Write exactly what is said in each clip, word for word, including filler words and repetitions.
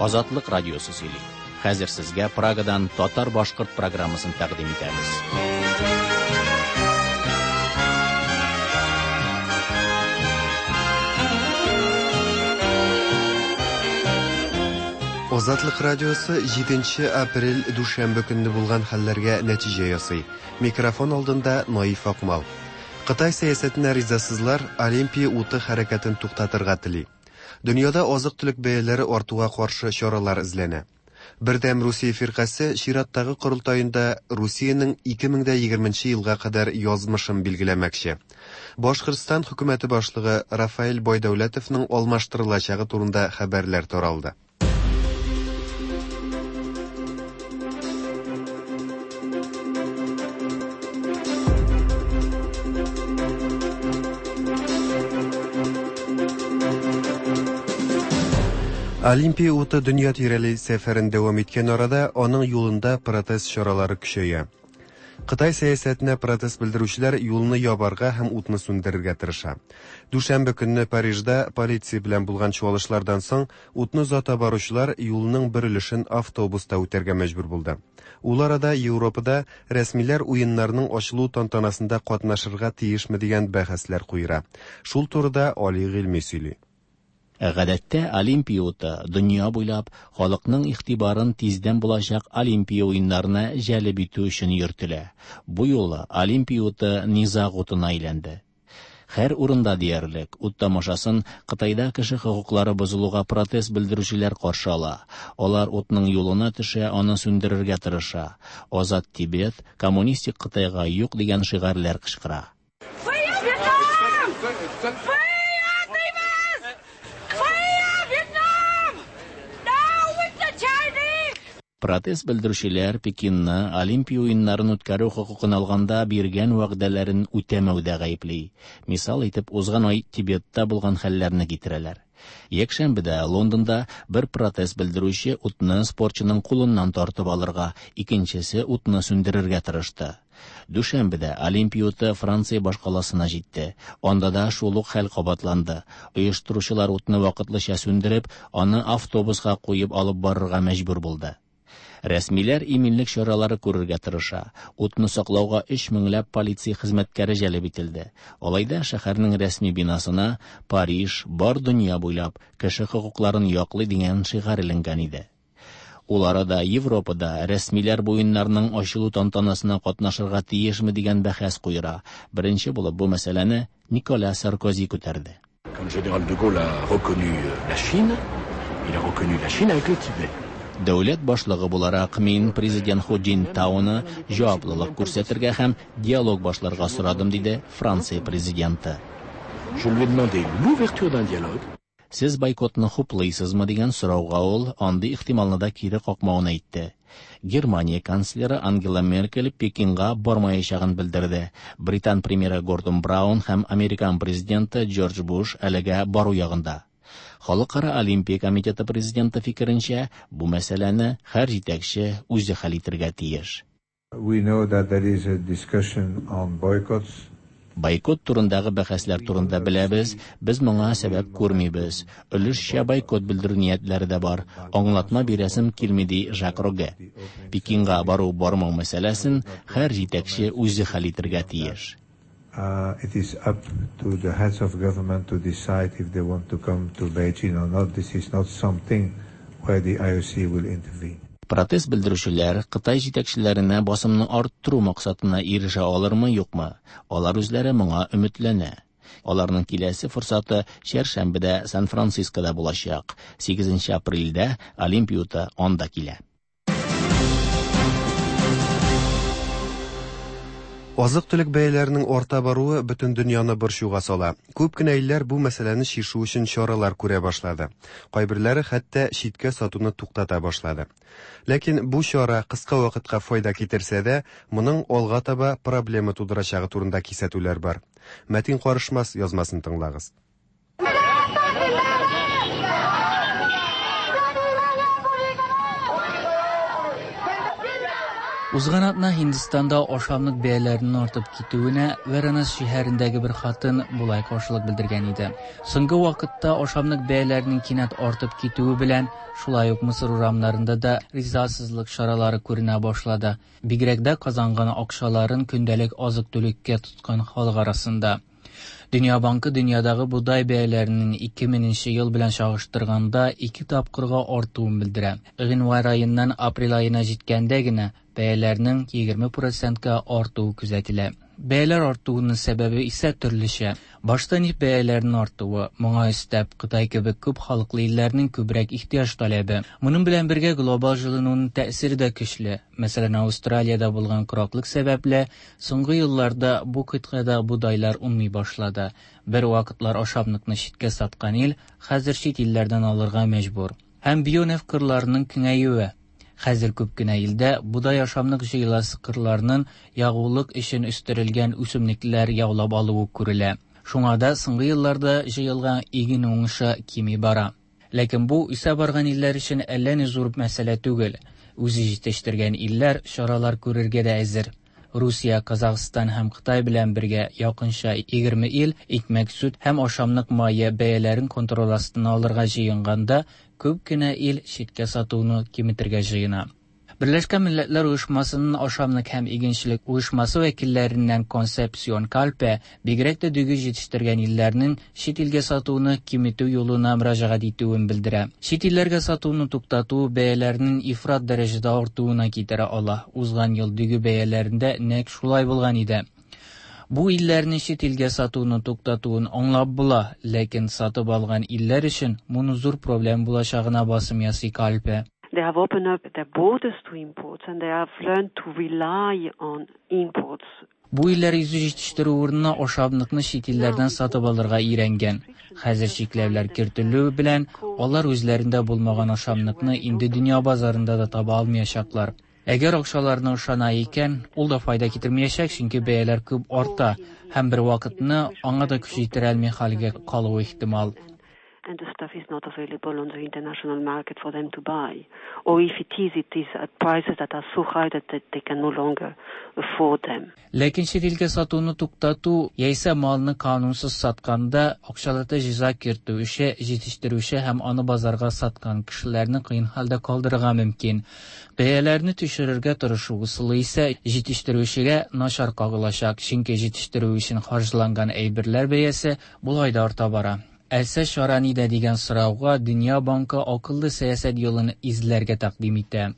Азатлык радиосы сөйли. Хәзер сезгә Прагадан татар-башкорт программасын тәкъдим итәбез. Азатлык радиосы җиденче апрель дүшәмбе көнне булган хәлләргә нәтиҗә ясый. Микрофон алдында Наиф Акмал. Кытай сәясәтенә ризасызлар Олимпия уты хәрәкәтен туктатырга тели. Дөньяда азык-төлек бәяләре артуга каршы чаралар эзләнә. Бердәм Русия фиркасе чираттагы корылтаенда Русиянең ике мең дә егерменче елга кадәр язмышын билгеләмәкче. Башкортстан хөкүмәте башлыгы Рафаэль Байдәүләтовның алмаштырылачагы турында хәбәрләр таралды. Олимпия уты дөнья тирәли сәфәрен дәвам иткән арада аның юлында протест чаралары көчәя. Кытай сәясәтенә протест белдерүчеләр юлны ябарга һәм утны сүндерергә тырыша. Дүшәмбе көнне Парижда полиция белән булган чуалышлардан соң утны озата баручылар юлның бер өлешен автобуста үтәргә мәҗбүр булды. Ул арада Европада рәсмиләр уеннарның ачылу тантанасында катнашырга тиешме дигән бәхәсләр куера. Шул турыда Али Гыйльми сөйли. Гадәттә Олимпия уты дөнья буйлап халыкның игътибарын тиздән булачак Олимпия уеннарына җәлеп итү өчен йөртелә. Бу юлы Олимпия уты низаг утына әйләнде. Һәр урында диярлек ут тамашасын Кытайда кеше хокуклары бозылуга протест белдерүчеләр каршы ала. Алар утның юлына төшә, аны сүндерергә тырыша. Азат Тибет, коммунистик Кытайга юк дигән шигарьләр кычкыра. Протест белдерүчеләр Пекинны Олимпия уеннарын үткәрү хокукын алганда биргән вәгъдәләрен үтәмәүдә гаепли. Мисал итеп узган ай Тибетта булган хәлләрне китерәләр. Якшәмбедә Лондонда бер протест белдерүче утны спортчының кулыннан тартып алырга, икенчесе утны сүндерергә тырышты. Дүшәмбедә Олимпия уты Франция башкаласына җитте. Анда да шул ук хәл кабатланды. Оештыручылар утны вакытлыча сүндереп, аны автобуска куеп алып барырга мәҗбүр булды. Рәсмиләр иминлек чаралары күрергә тырыша. Утны саклауга өч меңләп полиция хезмәткәре җәлеп ителде. Алай да шәһәрнең рәсми бинасына Париж бар дөнья буйлап кеше хокукларын яклый дигән шигарь эленгән иде. Ул арада Европада рәсмиләр бу уеннарның ачылу тантанасына катнашырга тиешме дигән бәхәс куера. Беренче булып бу мәсьәләне Никола Саркози күтәрде. Quand le général de Gaulle a reconnu la Chine, il a reconnu la Chine avec le Tibet. Дәүләт башлыгы буларак мин президент Ху Цзиньтауны җаваплылык күрсәтергә һәм диалог башларга сорадым, диде Франция президенты. Je lui ai demandé l'ouverture d'un dialogue. Сез бойкотны хуплыйсызмы дигән сорауга ул андый ихтималны да кире какмавын әйтте. Германия канцлеры Ангела Меркель Пекинга бармаячагын белдерде. Британ премьеры Гордон Браун һәм Американ президенты Джордж Буш әлегә бару ягында. Халыкара Олимпия комитеты президенты фикеренчә, бу мәсьәләне һәр җитәкче үзе хәл итәргә тиеш. We know that there is a discussion on boycotts. Бойкот турындагы бәхәсләр турында беләбез, без моңа сәбәп күрмибез. Өлешчә бойкот белдерү ниятләре дә бар. Аңлатма бирәсем килми, ди Жак Роге. Пекинга бару бармау мәсьәләсен һәр җитәкче үзе хәл итәргә тиеш. Uh, it is up to the heads of government to decide if they want to come to Beijing or not. This is not something where the I O C will intervene. Протест белдерүчеләр Кытай җитәкчеләренә басымны арттыру максатына ирешә алырмы, юкмы? Алар үзләре моңа өметләнә. Аларның киләсе форсаты чәршәмбедә Сан-Францискода булачак. Сигезенче апрельдә Олимпия уты анда килә. Азык-төлек бәяләренең арта баруы бөтен дөньяны борчуга сала. Күп кенә илләр бу мәсьәләне чишү өчен чаралар күрә башлады. Кайберләре хәтта читкә сатуны туктата башлады. Ләкин бу чара кыска вакытка файда китерсә дә, моның алга таба проблема тудырачагы турында кисәтүләр бар. Мәтин Карышмас язмасын тыңлагыз. Узган атна Һиндстанда ашамлык бәяләренең артып китүенә Варанаси шәһәрендәге бер хатын болай каршылык белдергән иде. Соңгы вакытта ашамлык бәяләренең кинәт артып китүе белән шулай ук Мисыр урамнарында да ризасызлык чаралары күренә башлады. Бигрәк дә казанган акчаларын көндәлек азык-төлеккә тоткан халык арасында. Дөнья банкы дөньядагы бодай бәяләренең ике меңенче ел белән чагыштырганда ике тапкырга артуын белдерә. Гыйнвар аеннан апрель аена җиткәндә генә бәяләрнең егерме процентка артуы күзәтелә. Бәяләр артуының сәбәбе исә төрлечә. Башта нефть бәяләренең артуы, моңа өстәп Кытай кебек күп халыклы илләрнең күбрәк ихтыяҗ таләбе. Моның белән бергә глобал җылынуның тәэсире дә көчле. Мәсәлән, Австралиядә булган кораклык сәбәпле соңгы елларда бу кыйтгада бодайлар уңмый башлады. Бер вакытлар ашамлыкны читкә саткан ил хәзер чит илләрдән алырга мәҗбүр. Һәм бионефть кырларының киңәюе. Хәзер күп кенә илдә бодай ашамлык җыеласы кырларның ягулык өчен үстерелгән үсемлекләр яулап алуы күрелә. Шуңа да соңгы елларда җыелган иген уңышы кими бара. Ләкин бу үсә барган илләр өчен әллә ни зур мәсьәлә түгел. Үзе җитештергән илләр чаралар күрергә дә әзер. Русия, Казахстан һәм Кытай белән бергә якынча егерме ил икмәк, сөт һәм ашамлык мае бәяләрен контроль астына алырга җыенганда, күп кенә ил читкә сатуны киметергә җыена. Берләшкән Милләтләр Оешмасының ашамлык һәм игенчелек оешмасы вәкилләреннән Консепсион Кальпе бигрәк тә дөге җитештергән илләрнең чит илгә сатуны киметү юлына мөрәҗәгать итүен белдерә. Чит илләргә сатуны туктату бәяләрнең ифрат дәрәҗәдә артуына китерә ала. Узган ел дөге бәяләрендә нәкъ шулай булган иде. Бу илләрнең чит илгә сатуны туктатуын аңлап була, ләкин сатып алган илләр өчен моны зур проблем булачагына басым ясый Кальпе. They have opened up their borders to imports and they have learned to rely on imports. Бу илләр йөзе җитештерү урынына ашамлыкны чит илләрдән сатып алырга өйрәнгән. Хәзер чикләүләр кертелү белән алар үзләрендә булмаган ашамлыкны инде дөнья базарында да таба алмаячаклар. Әгәр акчаларына ышана икән, ул да файда китермәячәк, чөнки бәяләр күп арта һәм бер вакытны аңа да көч җитерә алмый хәлгә калуы ихтимал. And the stuff is not available on the international market for them to buy. Or if it is, it is at prices that are so high that they can no longer afford them. Ләкин чит илгә сатуны туктату яисә малны канунсыз сатканда акчалата җәза кертү эше җитештерүче һәм аны базарга саткан кешеләрне кыен хәлдә калдырырга мөмкин. Бәяләрне төшерергә тырышу ысулы исә җитештерүчегә начар кагылачак, чөнки җитештерү өчен харҗланган әйберләр бәясе болай да арта бара. Әлсә чара нидә дигән сорауга Дөнья банкы акыллы сәясәт юлын эзләргә тәкъдим итә.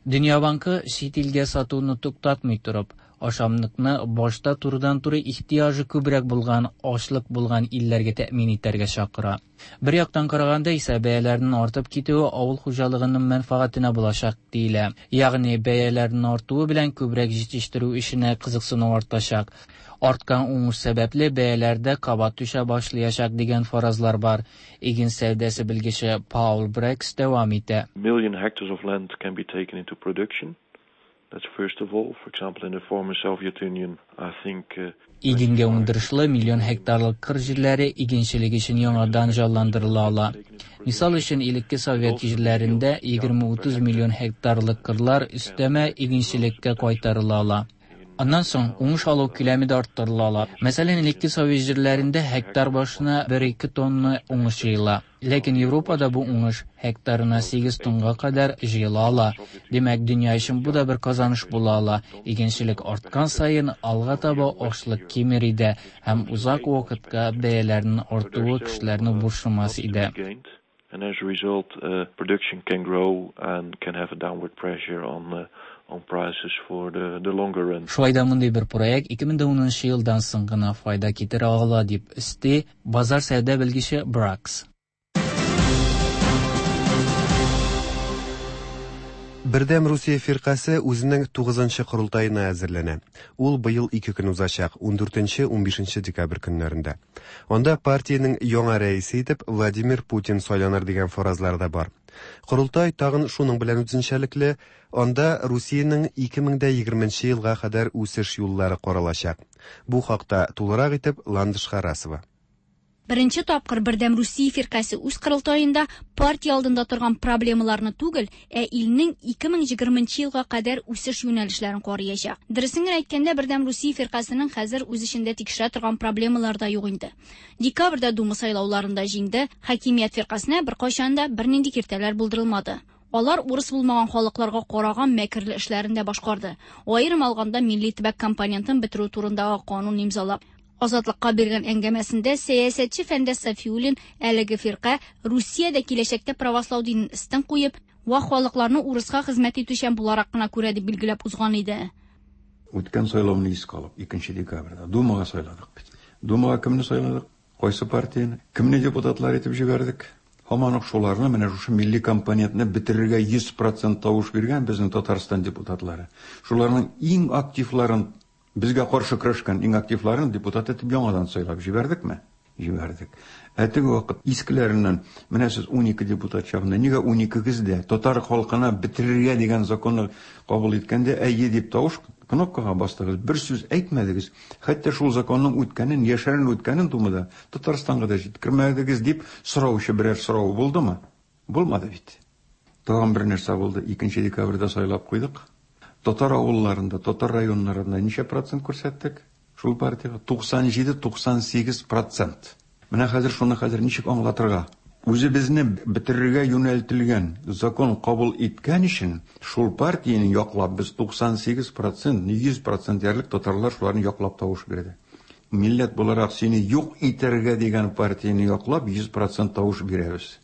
Дөнья банкы чит илгә сатуны туктатмый торып, ашамлыкны башта турыдан-туры ихтыяҗы күбрәк булган, ачлык булган илләргә тәэмин итәргә чакыра. Бер яктан караганда исә бәяләрнең артып китүе авыл хуҗалыгының мәнфәгатенә булачак диелә. Ягъни бәяләрнең артуы белән күбрәк җитештерү эшенә кызыксыну артачак. Арткан уңыш сәбәпле бәяләрдә кабат төшә башлаячак дигән фаразлар бар. Иген сәүдәсе белгече Паул Брекс дәвам итә. Million hectares of land can be taken into production. That's first of all, for example, in the former Soviet Union, I think, uh, Игенгә уңдырышлы миллион гектарлык кыр җирләре игенчелек өчен яңадан җанландырыла ала. Мисал өчен, элекке совет җирләрендә егерме-утыз миллион гектарлык кырлар өстәмә игенчелеккә кайтарыла ала. Аннан соң уңыш алу күләме дә арттырыла ала. Мәсәлән, элекке совет җирләрендә гектар башына бер-ике тонна уңыш җыела. Ләкин Европада бу уңыш гектарына сигез тонга кадәр җыела ала. Димәк, дөнья өчен бу да бер казаныш була ала. Игенчелек арткан саен алга таба ашлык кимер иде һәм узак вакытка бәяләрнең артуы кешеләрне борчымас иде. And as a result, uh, production can grow and can have a downward pressure on, uh, on prices for the, the longer run. Шулай да мондый бер проект ике мең унынчы елдан соң гына файда китерә ала, дип өсти базар сәүдә белгече Бракс. Бердәм Русия фиркасе үзенең тугызынчы корылтаена әзерләнә. Ул быел ике көн узачак, ундүртенче, унбишенче декабрь көннәрендә. Анда партиянең яңа рәисе итеп Владимир Путин сайланыр дигән фаразлар да бар. Корылтай тагын шуның белән үзенчәлекле, анда Русиянең ике мең дә егерменче елга кадәр үсеш юллары каралачак. Бу хакта тулырак итеп Ландыш Харасова. Беренче тапкыр Бердәм Русия фиркасе үз корылтаенда партия алдында торган проблемаларны түгел, ә илнең ике мең егерменче елга кадәр үсеш юнәлешләрен караячак. Дөресен генә әйткәндә, Бердәм Русия фиркасының хәзер үз эчендә тикшерә торган проблемалар да юк инде. Декабрьдә Дума сайлауларында җиңде, хакимият фиркасына беркайчан да бернинди киртәләр булдырылмады. Алар урыс булмаган халыкларга караган мәкерле эшләрен дә башкарды. Аерым алганда милли төбәк компонентын бетерү турындагы канун имзалап. Азатлыкка биргән әңгәмәсендә сәясәтче Фәндәс Сафиуллин әлеге фирка Русиядә киләчәктә правослау динен өстен куеп, вак халыкларны урыска хезмәт итүчән буларак кына күрә дип билгеләп узган иде. Үткән сайлауны искә алып, икенче декабрьдә Думага сайладык бит. Думага кемне сайладык? Кайсы партияне? Кемне депутатлар итеп җибәрдек? Һаман ук шуларны, менә шушы милли компонентны бетерергә йөз процент тавыш биргән безнең Татарстан депутатлары. Шуларның иң активларын, безгә каршы көрәшкән иң активларын депутат итеп яңадан сайлап җибәрдекме? Җибәрдек. Ә теге вакыт искеләреннән, менә сез унике депутат чагында нигә уникегез дә татар халкына бетерергә дигән законны кабул иткәндә әйе дип тавыш кнопкага бастыгыз, бер сүз әйтмәдегез. Хәтта шул законның үткәнен, яшерен үткәнен Думада Татарстанга да җиткермәдегез дип сораучы берәр сорау булдымы? Булмады бит. Тагын бер нәрсә булды. Икенче декабрьдә сайлап куйдык. Татар авылларында, татар районнарында ничә процент күрсәттек? Шул партияга туксан җиде, туксан сигез процент. Менә хәзер шуны хәзер ничек аңлатырга? Үзебезне бетерергә юнәлтелгән закон кабул иткән өчен шул партияне яклап без туксан сигез процент, йөз процент диярлек татарлар шуларны яклап тавыш бирде. Милләт буларак сине юк итәргә дигән партияне яклап йөз процент тавыш бирәбез.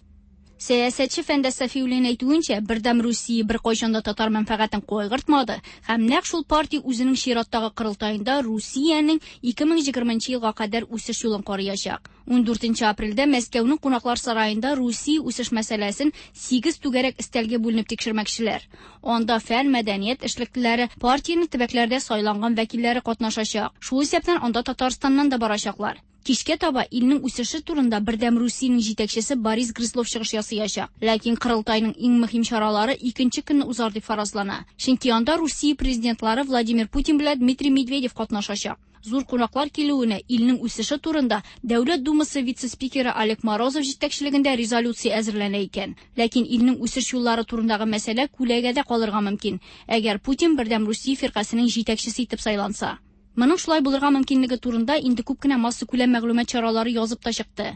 Сәясәтче Фәндәс Сафиуллин әйтүенчә, Бердәм Русия беркайчан да татар мәнфәгатен кайгыртмады һәм нәкъ шул партия үзенең чираттагы корылтаенда Русиянең ике мең егерменче елга кадәр үсеш юлын караячак. Ундүртенче апрельдә Мәскәүнең кунаклар сараенда Русия үсеш мәсьәләсен сигез түгәрәк өстәлгә бүленеп тикшермәкчеләр. Анда фән, мәдәният эшлеклеләре, партиянең төбәкләрдә сайланган вәкилләре катнашачак. Шул исәптән анда Татарстаннан да барачаклар. Кичкә таба илнең үсеше турында Бердәм Русиянең җитәкчесе Борис Грызлов чыгыш ясаячак. Ләкин корылтайның иң мөһим чаралары икенче көнне узар дип фаразлана. Чөнки анда Русия президентлары Владимир Путин белән Дмитрий Медведев катнашачак. Зур кунаклар килүенә илнең үсеше турында Дәүләт Думасы вице-спикеры Олег Морозов җитәкчелегендә резолюция әзерләнә икән. Ләкин илнең үсеш юллары турындагы мәсьәлә күләгәдә калырга мөмкин, әгәр Путин Бердәм Русия фиркасының җитәкчесе итеп сайланса. Моның шулай булырга мөмкинлеге турында инде күп кенә массакүләм мәгълүмат чаралары язып та чыкты.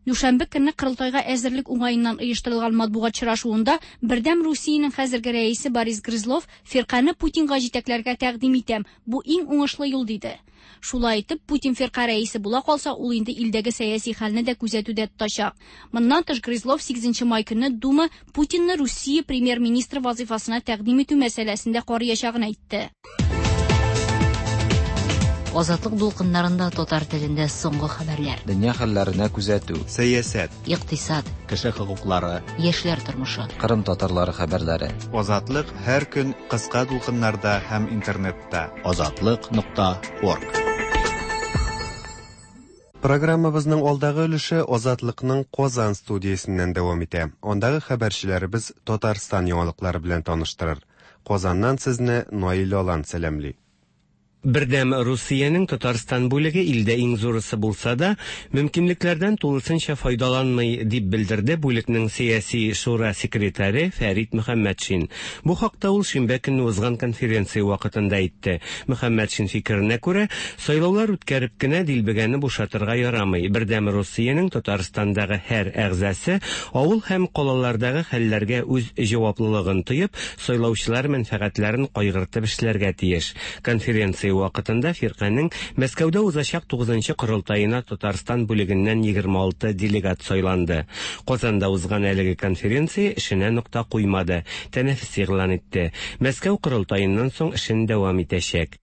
Дүшәмбе көнне корылтайга әзерлек уңаеннан оештырылган матбугат очрашуында Бердәм Русиянең хәзерге рәисе Борис Грызлов фирканы Путинга җитәкләргә тәкъдим итәм, бу иң уңышлы юл диде. Шулай итеп, Путин фирка рәисе була калса, ул инде илдәге сәяси хәлне дә күзәтүдә тотачак. Моннан тыш Грызлов сигезенче май көнне Дума Путинны Русия премьер-министры вазифасына тәкъдим итү мәсьәләсендә караячагын әйтте. Азатлык дулкыннарында татар телендә соңгы хәбәрләр. Дөнья хәлләренә күзәтү. Сәясәт. Икътисад. Кеше хокуклары. Яшьләр тормышы. Кырым татарлары хәбәрләре. Азатлык һәр көн кыска дулкыннарда һәм интернетта. Азатлык нокта орг. Программабызның алдагы өлеше Азатлыкның Казан студиясеннән дәвам итә. Андагы хәбәрчеләребез Татарстан яңалыклары белән таныштырыр. Казаннан сезне Наил Алан сәламли. Бердәм Русиянең Татарстан бүлеге илдә иң зурысы булса да, мөмкинлекләрдән тулысынча файдаланмый, дип белдерде бүлекнең сәяси шура секретаре Фәрит Мөхәммәтшин. Бу хакта ул шимбә көнне узган конференция вакытында әйтте. Мөхәммәтшин фикеренә күрә, сайлаулар үткәреп кенә дилбегәне бушатырга ярамый. Бердәм Русиянең Татарстандагы һәр әгъзасы авыл һәм калалардагы хәлләргә үз җаваплылыгын тоеп, сайлаучылар мәнфәгатьләрен кайгыртып эшләргә тиеш. Конференция вакытында фирканең Мәскәүдә узачак тугызынчы корылтаена Татарстан бүлегеннән егерме алты делегат сайланды. Казанда узган әлеге конференция эшенә нокта куймады, тәнәфес игълан итте. Мәскәү корылтаеннан соң эшен дәвам итәчәк.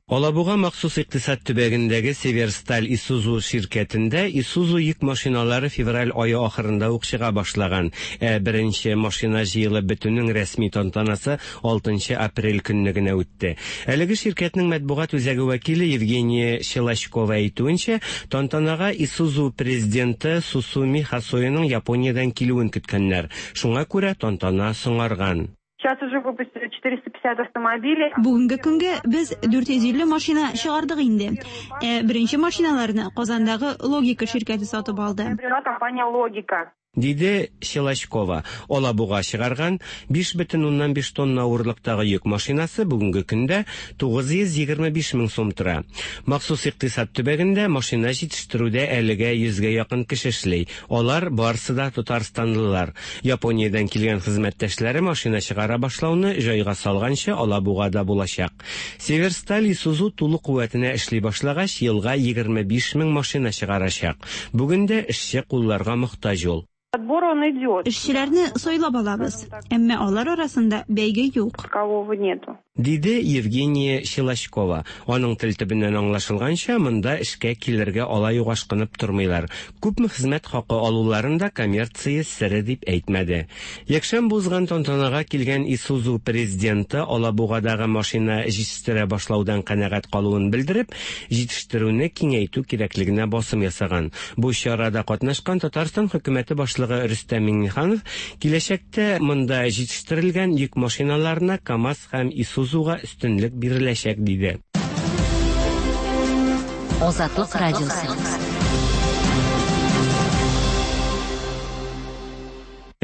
Алабуга махсус икътисад төбәгендәге Северсталь Исузу ширкәтендә Исузу йөк машиналары февраль ае ахырында ук чыга башлаган. Ә беренче машина җыелып бетүнең рәсми тантанасы алтынчы апрель көнне генә үтте. Әлеге ширкәтнең матбугат үзәге вәкиле Евгения Щелочкова әйтүенчә, тантанага Исузу президенты Сусуми Хасоиның Япониядән килүен көткәннәр. Шуңа күрә тантана соңарган. Сейчас уже выпустили четыреста пятьдесят автомобилей. Бүгенге көнгә без дүрт йөз илле машина чыгардык инде. Ә беренче машиналарны Казандагы Логика ширкәте сатып алды. Компания Логика. Диде Щелочкова. Алабуга чыгарган биш бөтен уннан биш тонна авырлыктагы йөк машинасы бүгенге көндә тугыз йөз егерме биш мең сум тора. Махсус икътисад төбәгендә машина җитештерүдә әлегә йөзгә якын кеше эшли. Алар барысы да татарстанлылар. Япониядән килгән хезмәттәшләре машина чыгара башлауны җайга салганчы Алабугада булачак. Северсталь Исузу тулы куәтенә эшли башлагач, елга егерме биш мең машина чыгарачак. Бүген дә эшче кулларга мохтаҗ ул. Отбор он идет. Эшчеләрне сайлап алабыз, әмма алар арасында бәйге юк. Такового нету. Диде Евгения Щелочкова. Аның тел төбеннән аңлашылганча, монда эшкә килергә алай ук ашкынып тормыйлар. Күпме хезмәт хакы алуларын да коммерция сере дип әйтмәде. Якшәмбе узган тантанага килгән Исузу президенты Алабугадагы машина җитештерә башлаудан канәгать калуын белдереп, җитештерүне киңәйтү кирәклегенә басым ясаган. Бу чарада катнашкан Татарстан хөкүмәте башлыгы Рөстәм Миңнеханов киләчәктә монда җитештерелгән йөк машиналарына КАМАЗ һәм Исузуга өстенлек биреләчәк, диде. Азатлык радиосы.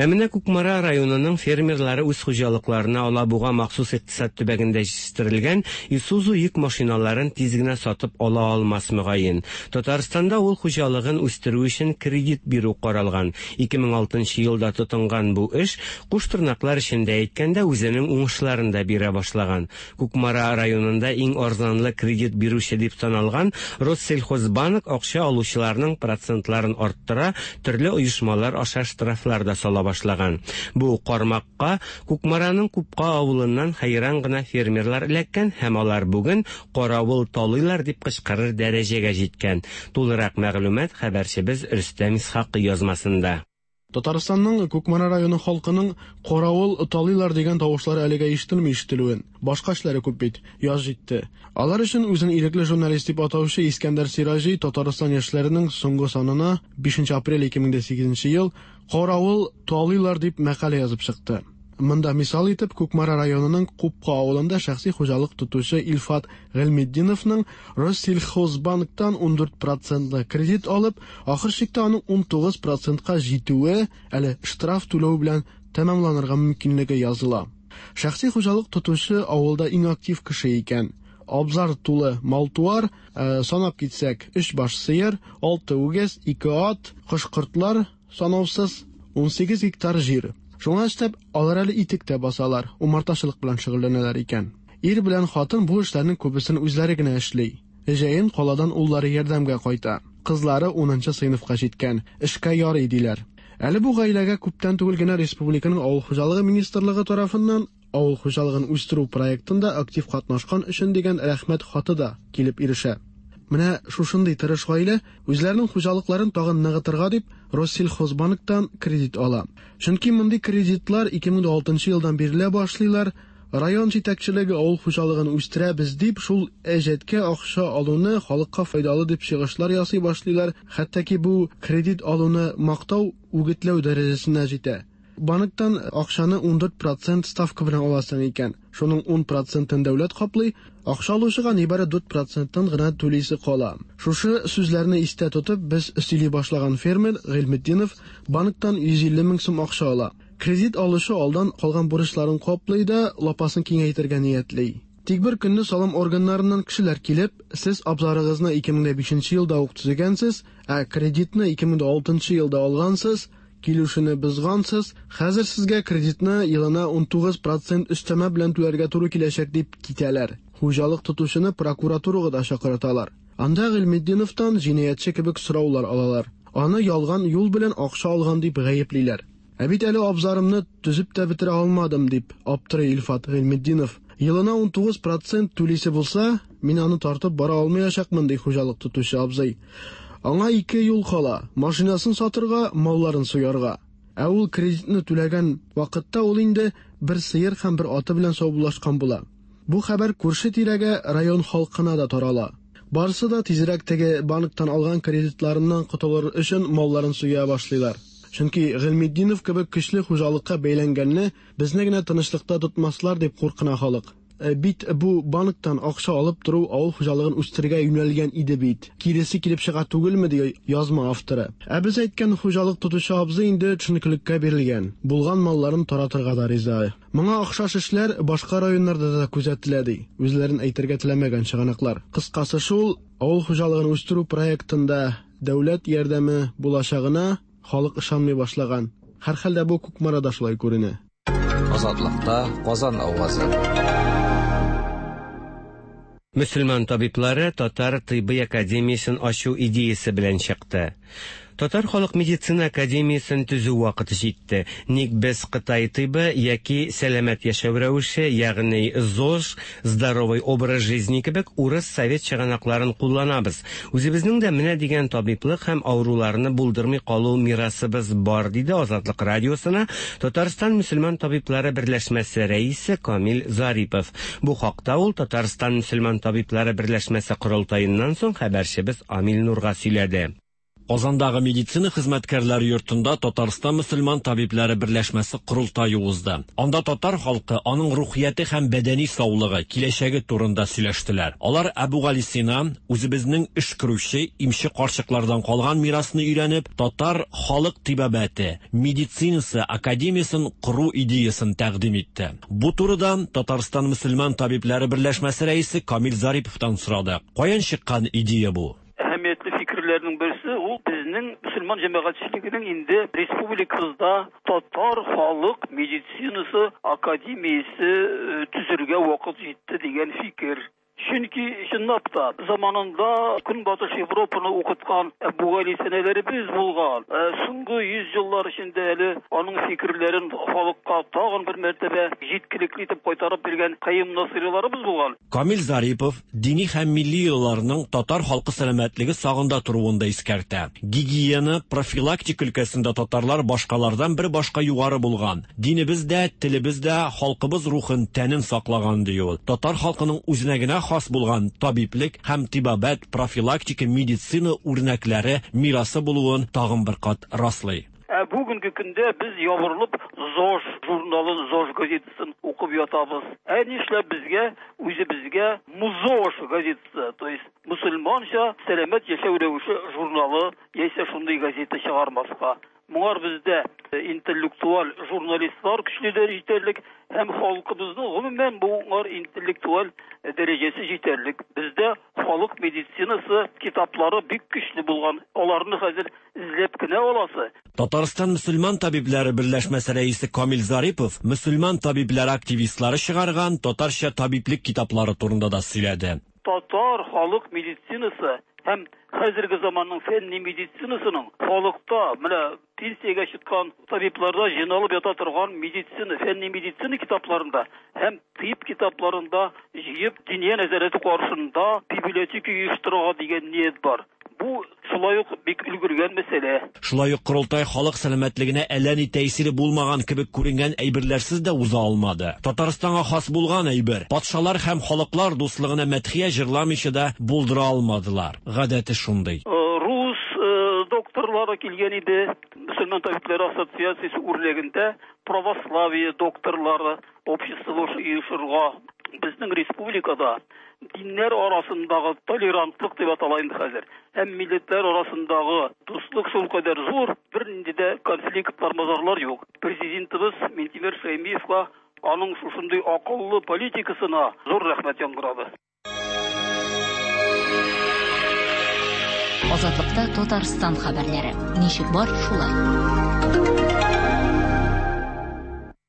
Ә менә Кукмара районының фермерлары үз хуҗалыкларына Алабуга махсус икътисад төбәгендә җитештерелгән Исузу йөк машиналарын тиз генә сатып ала алмас мөгаен. Татарстанда ул хуҗалыгын үстерү өчен кредит бирү каралган. ике мең алтынчы елда тотынган бу эш куш тырнаклар эчендә әйткәндә үзенең уңышларын да бирә башлаган. Кукмара районында иң арзанлы кредит бирүче дип саналган Россельхозбанк акча алучыларның процентларын арттыра, төрле оешмалар аша штрафлар да сала башлаган. Бу кармакка Кукмараның Купка авылыннан хәйран гына фермерлар эләккән һәм алар бүген каравыл талыйлар дип кычкырыр дәрәҗәгә җиткән. Тулырак мәгълүмат хәбәрчебез Рөстәм Исхакый язмасында. Татарстанның Кукмара районы халкының каравыл талыйлар дигән тавышлары әлегә ишетелми ишетелүен. Башка эшләре күп бит. Яз җитте. Алар өчен үзен ирекле журналист дип атаучы Искәндәр Сираҗи Татарстан яшьләренең соңгы санына бишенче апрель ике мең сигезенче ел каравыл талыйлар дип мәкалә язып чыкты. Монда мисал итеп Кукмара районының Купка авылында шәхси хуҗалык тотучы Илфат Гыйльметдиновның Россельхозбанктан ун дүрт процентлы кредит алып, ахыр чиктә аның ун тугыз процентка җитүе әле штраф түләү белән тәмамланырга мөмкинлеге языла. Шәхси хуҗалык тотучы авылда иң актив кеше икән. Абзар тулы мал-туар, санап китсәк, өч баш сыер, алты үгез, ике ат, кош-кортлар санаусыз ун сигез гектар җир. Шуңа өстәп, алар әле итек тә басалар, умартачылык белән шөгыльләнәләр икән. Ир белән хатын бу эшләрнең күбесен үзләре генә эшли. Җәен каладан уллары ярдәмгә кайта. Кызлары унынчы сыйныфка җиткән, эшкә ярый диләр. Әле бу гаиләгә күптән түгел генә республиканың Авыл хуҗалыгы министрлыгы тарафыннан авыл хуҗалыгын үстерү проектында актив катнашкан өчен дигән рәхмәт хаты да килеп ирешә. Менә шушындый тырыш гаилә үзләренең хуҗалыкларын тагын ныгытырга дип Россельхозбанктан кредит ала. Чөнки мондый кредитлар ике мең алтынчы елдан бирелә башлыйлар. Район җитәкчелеге авыл хуҗалыгын үстерәбез дип шул әҗәткә акча алуны халыкка файдалы дип чыгышлар ясый башлыйлар. Хәтта ки бу кредит алуны мактау, үгетләү дәрәҗәсенә җитә. Банктан акчаны ун дүрт процент ставка белән аласың икән. Шуның ун процентын дәүләт каплый, акча алучыга нибары дүрт проценттан гына түлисе кала. Шушы сүзләрне истә тотып, без сөйли башлаган фермер Гыйльметдинов банктан йөз илле мең сум акча ала. Кредит алучы алдан калган бурычларын каплый да лапасын киңәйтергә ниятли. Тик бер көнне салым органнарыннан кешеләр килеп, сез абзарыгызны ике мең бишенче елда ук төзегәнсез, ә кредитны ике мең алтынчы елда алгансыз, килүшене бозгансыз, хәзер сезгә кредитны елына ун тугыз процент өстәмә белән түләргә туры киләчәк дип китәләр. Хуҗалык тотучыны прокуратурага да чакырталар. Анда Гыйльметдиновтан җинаятьче кебек сораулар алалар. Аны ялган юл белән акча алган дип гаеплиләр. Ә бит әле абзарымны төзеп тә бетерә алмадым дип аптырый Илфат Гыйльметдинов. Елына ун тугыз процент түлисе булса, мин аны тартып бара алмаячакмын ди хуҗалык тотучы абзый. Аңа ике юл кала: машинасын сатырга, малларын суярга. Ә ул кредитны түләгән вакытта ул инде бер сыер һәм бер аты белән саубуллашкан була. Бу хәбәр күрше тирәгә, район халкына да тарала. Барысы да тизрәк теге банктан алган кредитларыннан котылыр өчен малларын суя башлыйлар. Чөнки Гыйльметдинов кебек көчле хуҗалыкка бәйләнгәнне безне генә тынычлыкта тотмаслар дип куркына халык. Бит бу банктан акча алып тору авыл хуҗалыгын үстерергә юнәлгән иде бит. Киресе килеп чыга түгелме, ди язма авторы. Ә без әйткән хуҗалык тотучы абзый инде төшенкелеккә бирелгән. Булган малларын таратырга да риза. Моңа охшаш эшләр башка районнарда да күзәтелә, ди. Үзләрен әйтергә теләмәгән чыганаклар. Кыскасы шул, авыл хуҗалыгын үстерү проектында дәүләт ярдәме булачагына халык ышанмый башлаган. Һәрхәлдә бу Кукмарада шулай күренә. Азатлыкта Казан авазы. Мөселман табиблары Татар тыйбый академиясен ачу идеясы белән чыкты. Татар халык медицина академиясен төзү вакыты җитте. Ник без Кытай тыйбы яки сәламәт яшәү рәвеше, ягъни ЗОЖ, здоровый образ жизни кебек урыс совет чыганакларын кулланабыз. Үзебезнең дә менә дигән табиблык һәм авыруларны булдырмый калу мирасыбыз бар, диде Азатлык радиосына Татарстан мөселман табиблары берләшмәсе рәисе Камил Зарипов. Бу хакта ул Татарстан мөселман табиблары берләшмәсе корылтаеннан соң хәбәрчебез Амил Нурга сөйләде. Казандагы медицина хезмәткәрләре йортында Татарстан мөселман табиблары берләшмәсе корылтае узды. Анда татар халкы, аның рухияте һәм бәдәни саулыгы, киләчәге турында сөйләштеләр. Алар Әбүгалисина, үзебезнең өшкерүче, имче карчыклардан калган мирасны өйрәнеп, татар халык тибабәте, медицинасы академиясен кору идеясын тәкъдим итте. Бу турыда Татарстан мөселман табиблары берләшмәсе рәисе Камил Зариповтан сорады. Каян чыккан идея бу? Әһәмиятле фикерләрнең берсе ул безнең мөселман җәмәгатьчелегенең инде республикабызда татар халык медицинасы академиясе төзергә вакыт җитте дигән фикер. Чөнки чынлап та заманында Көнбатыш Европаны укыткан Әбүгалисинәләребез булган. Соңгы йөз еллар эчендә әле аның фикерләрен халыкка тагын бер мәртәбә җиткелекле итеп кайтарып биргән Каюм Насыйриларыбыз булган. Камил Зарипов дини һәм милли йолаларның татар халкы сәламәтлеге сагында торуын да искәртә. Гигиена, профилактика өлкәсендә татарлар башкалардан бер башка югары булган. Динебез дә, телебез дә халкыбыз рухын, тәнен саклаган, ди ул. Татар халкының үзенә генә хас булган табиблек һәм тибабәт, профилактика, медицина үрнәкләре мирасы булуын тагын бер кат раслый. Ә бүгенге көндә без ябырылып ЗОЖ журналын, ЗОЖ газетасын укып ятабыз. Ә нишләп безгә, үзебезгә МУЗОЖ газетасы, то есть мөселманча сәламәт яшәү рәвеше журналы яисә шундый газета чыгармаска? Моңар бездә интеллектуаль журналистлар көчле җитәрлек һәм халкыбызның гомумән моңар интеллектуаль дәрәҗәсе җитәрлек. Бездә халык медицинасы китаплары бик көчле булган. Аларны хәзер эзләп кенә аласы. Татарстан мөселман табиблары берләшмәсе рәисе Камил Зарипов мөселман табиблары активистлары чыгарган татарча табиблек китаплары турында да сөйләде. Татар халык медицинасы һәм хәзерге заманның фәнни медицинасының халыкта менә пенсиягә чыккан табибларда җыйналып ята торган медицина, фәнни медицина китапларында һәм тиб китапларында җыеп диния нәзарәте каршында библиотека оештырырга дигән ният бар. Бу шулай ук бик өлгергән мәсьәлә. Шулай ук корылтай халык сәламәтлегенә әллә ни тәэсире булмаган кебек күренгән әйберләрсез дә уза алмады. Татарстанга хас булган әйбер, патшалар һәм халыклар дуслыгына мәдхия җырламыйча да булдыра алмадылар. Гадәте шундый. Рус докторлары килгән иде. Мөселман табиблары ассоциациясе үрнәгендә православие докторлары обществосы оешырга. Безнең республикада диннәр арасындагы толерантлык дип атала инде хәзер. Һәм милләтләр арасындагы дуслык шулкадәр зур, бернинди дә конфликтлар, мазарлар юк. Президентыбыз Минтимер Шәймиевка аның шушындый акыллы политикасына зур рәхмәт яңгырады. Азатлыкта Татарстан хәбәрләре. Ничек бар, шулай.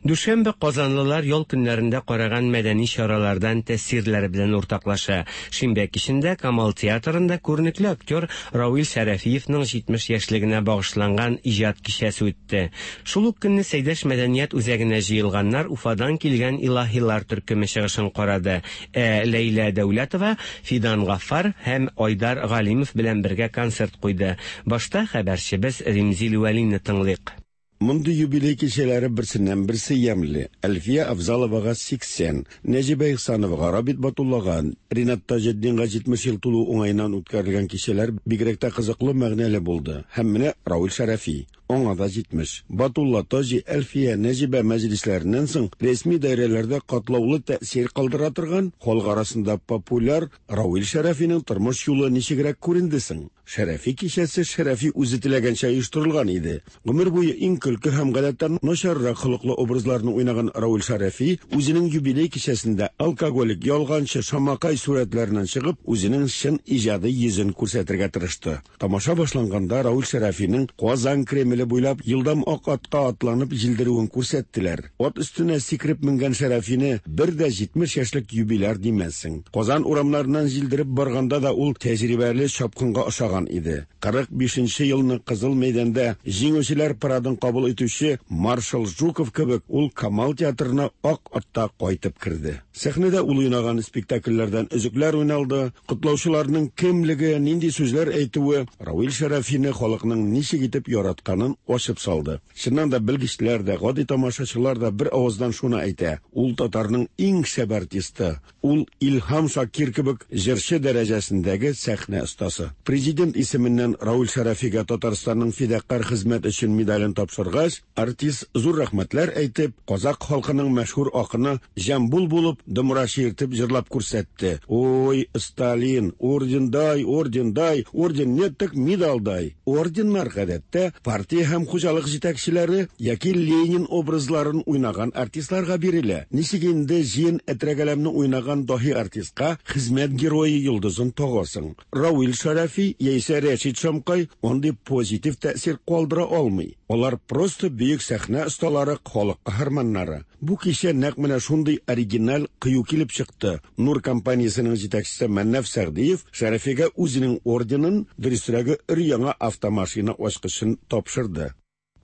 Дүшәмбе казанлылар ял көннәрендә караган мәдәни чаралардан тәэсирләре белән уртаклаша. Шимбә кичендә Камал театрында күренекле актер Равил Шәрәфиевның җитмеш яшьлегенә багышланган иҗат кичәсе үтте. Шул ук көнне Сәйдәш мәдәният үзәгенә җыелганнар Уфадан килгән илаһилар төркеме чыгышын карады. Ә Ләйлә Дәүләтова Фидан Гаффар һәм Айдар Галимов белән бергә концерт куйды. Башта хәбәрчебез Римзил Вәлинне тыңлыйк. Мондый юбилей кичәләре берсеннән берсе ямьле. Әлфия Авзаловага сиксән, Нәҗибә Ихсановага, Рабит Батуллага, Ринат Таҗетдинга җитмеш ел тулу уңаеннан үткәрелгән кичәләр бигрәк тә кызыклы, мәгънәле булды. Һәм менә Равил Шәрәфи. Аңа да җитмеш. Батулла, Таҗи, Әлфия, Нәҗибә мәҗлесләреннән соң рәсми даирәләрдә катлаулы тәэсир калдыра торган, халык арасында популяр Равил Шәрәфинең тормыш юлы ничегрәк күренде соң? Шәрәфи кичәсе Шәрәфи үзе теләгәнчә оештырылган иде. Гомер буе иң көлке һәм гадәттән начаррак холыклы образларны уйнаган Равил Шәрәфи үзенең юбилей кичәсендә алкоголик, ялганчы, шамакай сурәтләреннән чыгып, үзенең чын иҗади йөзен күрсәтергә тырышты. Тамаша башланганда Равил Шәрәфинең Казан Кремле буйлап елдам ак атка атланып җилдерүен күрсәттеләр. Ат өстенә сикереп менгән Шәрәфине бер дә җитмеш яшьлек юбиляр димәссең. Казан урамнарыннан җилдереп барганда да ул тәҗрибәле чапкынга ошаган иде. Кырык бишенче елны Кызыл мәйданда җиңүчеләр парадын кабул итүче маршал Жуков кебек ул Камал театрына ак атта кайтып керде. Сәхнәдә ул уйнаган спектакльләрдән өзекләр уйналды. Котлаучыларның кемлеге, нинди сүзләр әйтүе Равил Шәрәфине халыкның ничек итеп яратканын ачып салды. Чыннан да белгечләр дә, гади тамашачылар да бер авыздан шуны әйтә: ул татарның иң шәп артисты, ул Илһам Шакир кебек җырчы дәрәҗәсендәге сәхнә остасы. Президент исеменнән Равил Шәрәфигә Татарстанның фидакарь хезмәт өчен медален тапшыргач, артист зур рәхмәтләр әйтеп, казак халкының мәшһүр акыны Җамбул булып домра чиертеп җырлап күрсәтте. Ой, Сталин, орден дай, орден дай, орден нет, так медаль дай. Орденнар гадәттә партия һәм хуҗалык җитәкчеләре яки Ленин образларын уйнаган артистларга бирелә. Ничек инде җыен әтрәгәләмне уйнаган даһи артистка хезмәт герое йолдызын тагасың? Равил Шәрәфи яисә Рәшит Шамкай андый позитив тәэсир калдыра алмый. Алар просто бөек сәхнә осталары, халык каһарманнары. Бу кичә нәкъ менә шундый оригиналь кыю килеп чыкты. Нур компаниясенең җитәкчесе Мәннәф Сәгъдиев Шәрәфигә үзенең орденын, дөресрәге, өр-яңа автомашина ачкычын тапшырды.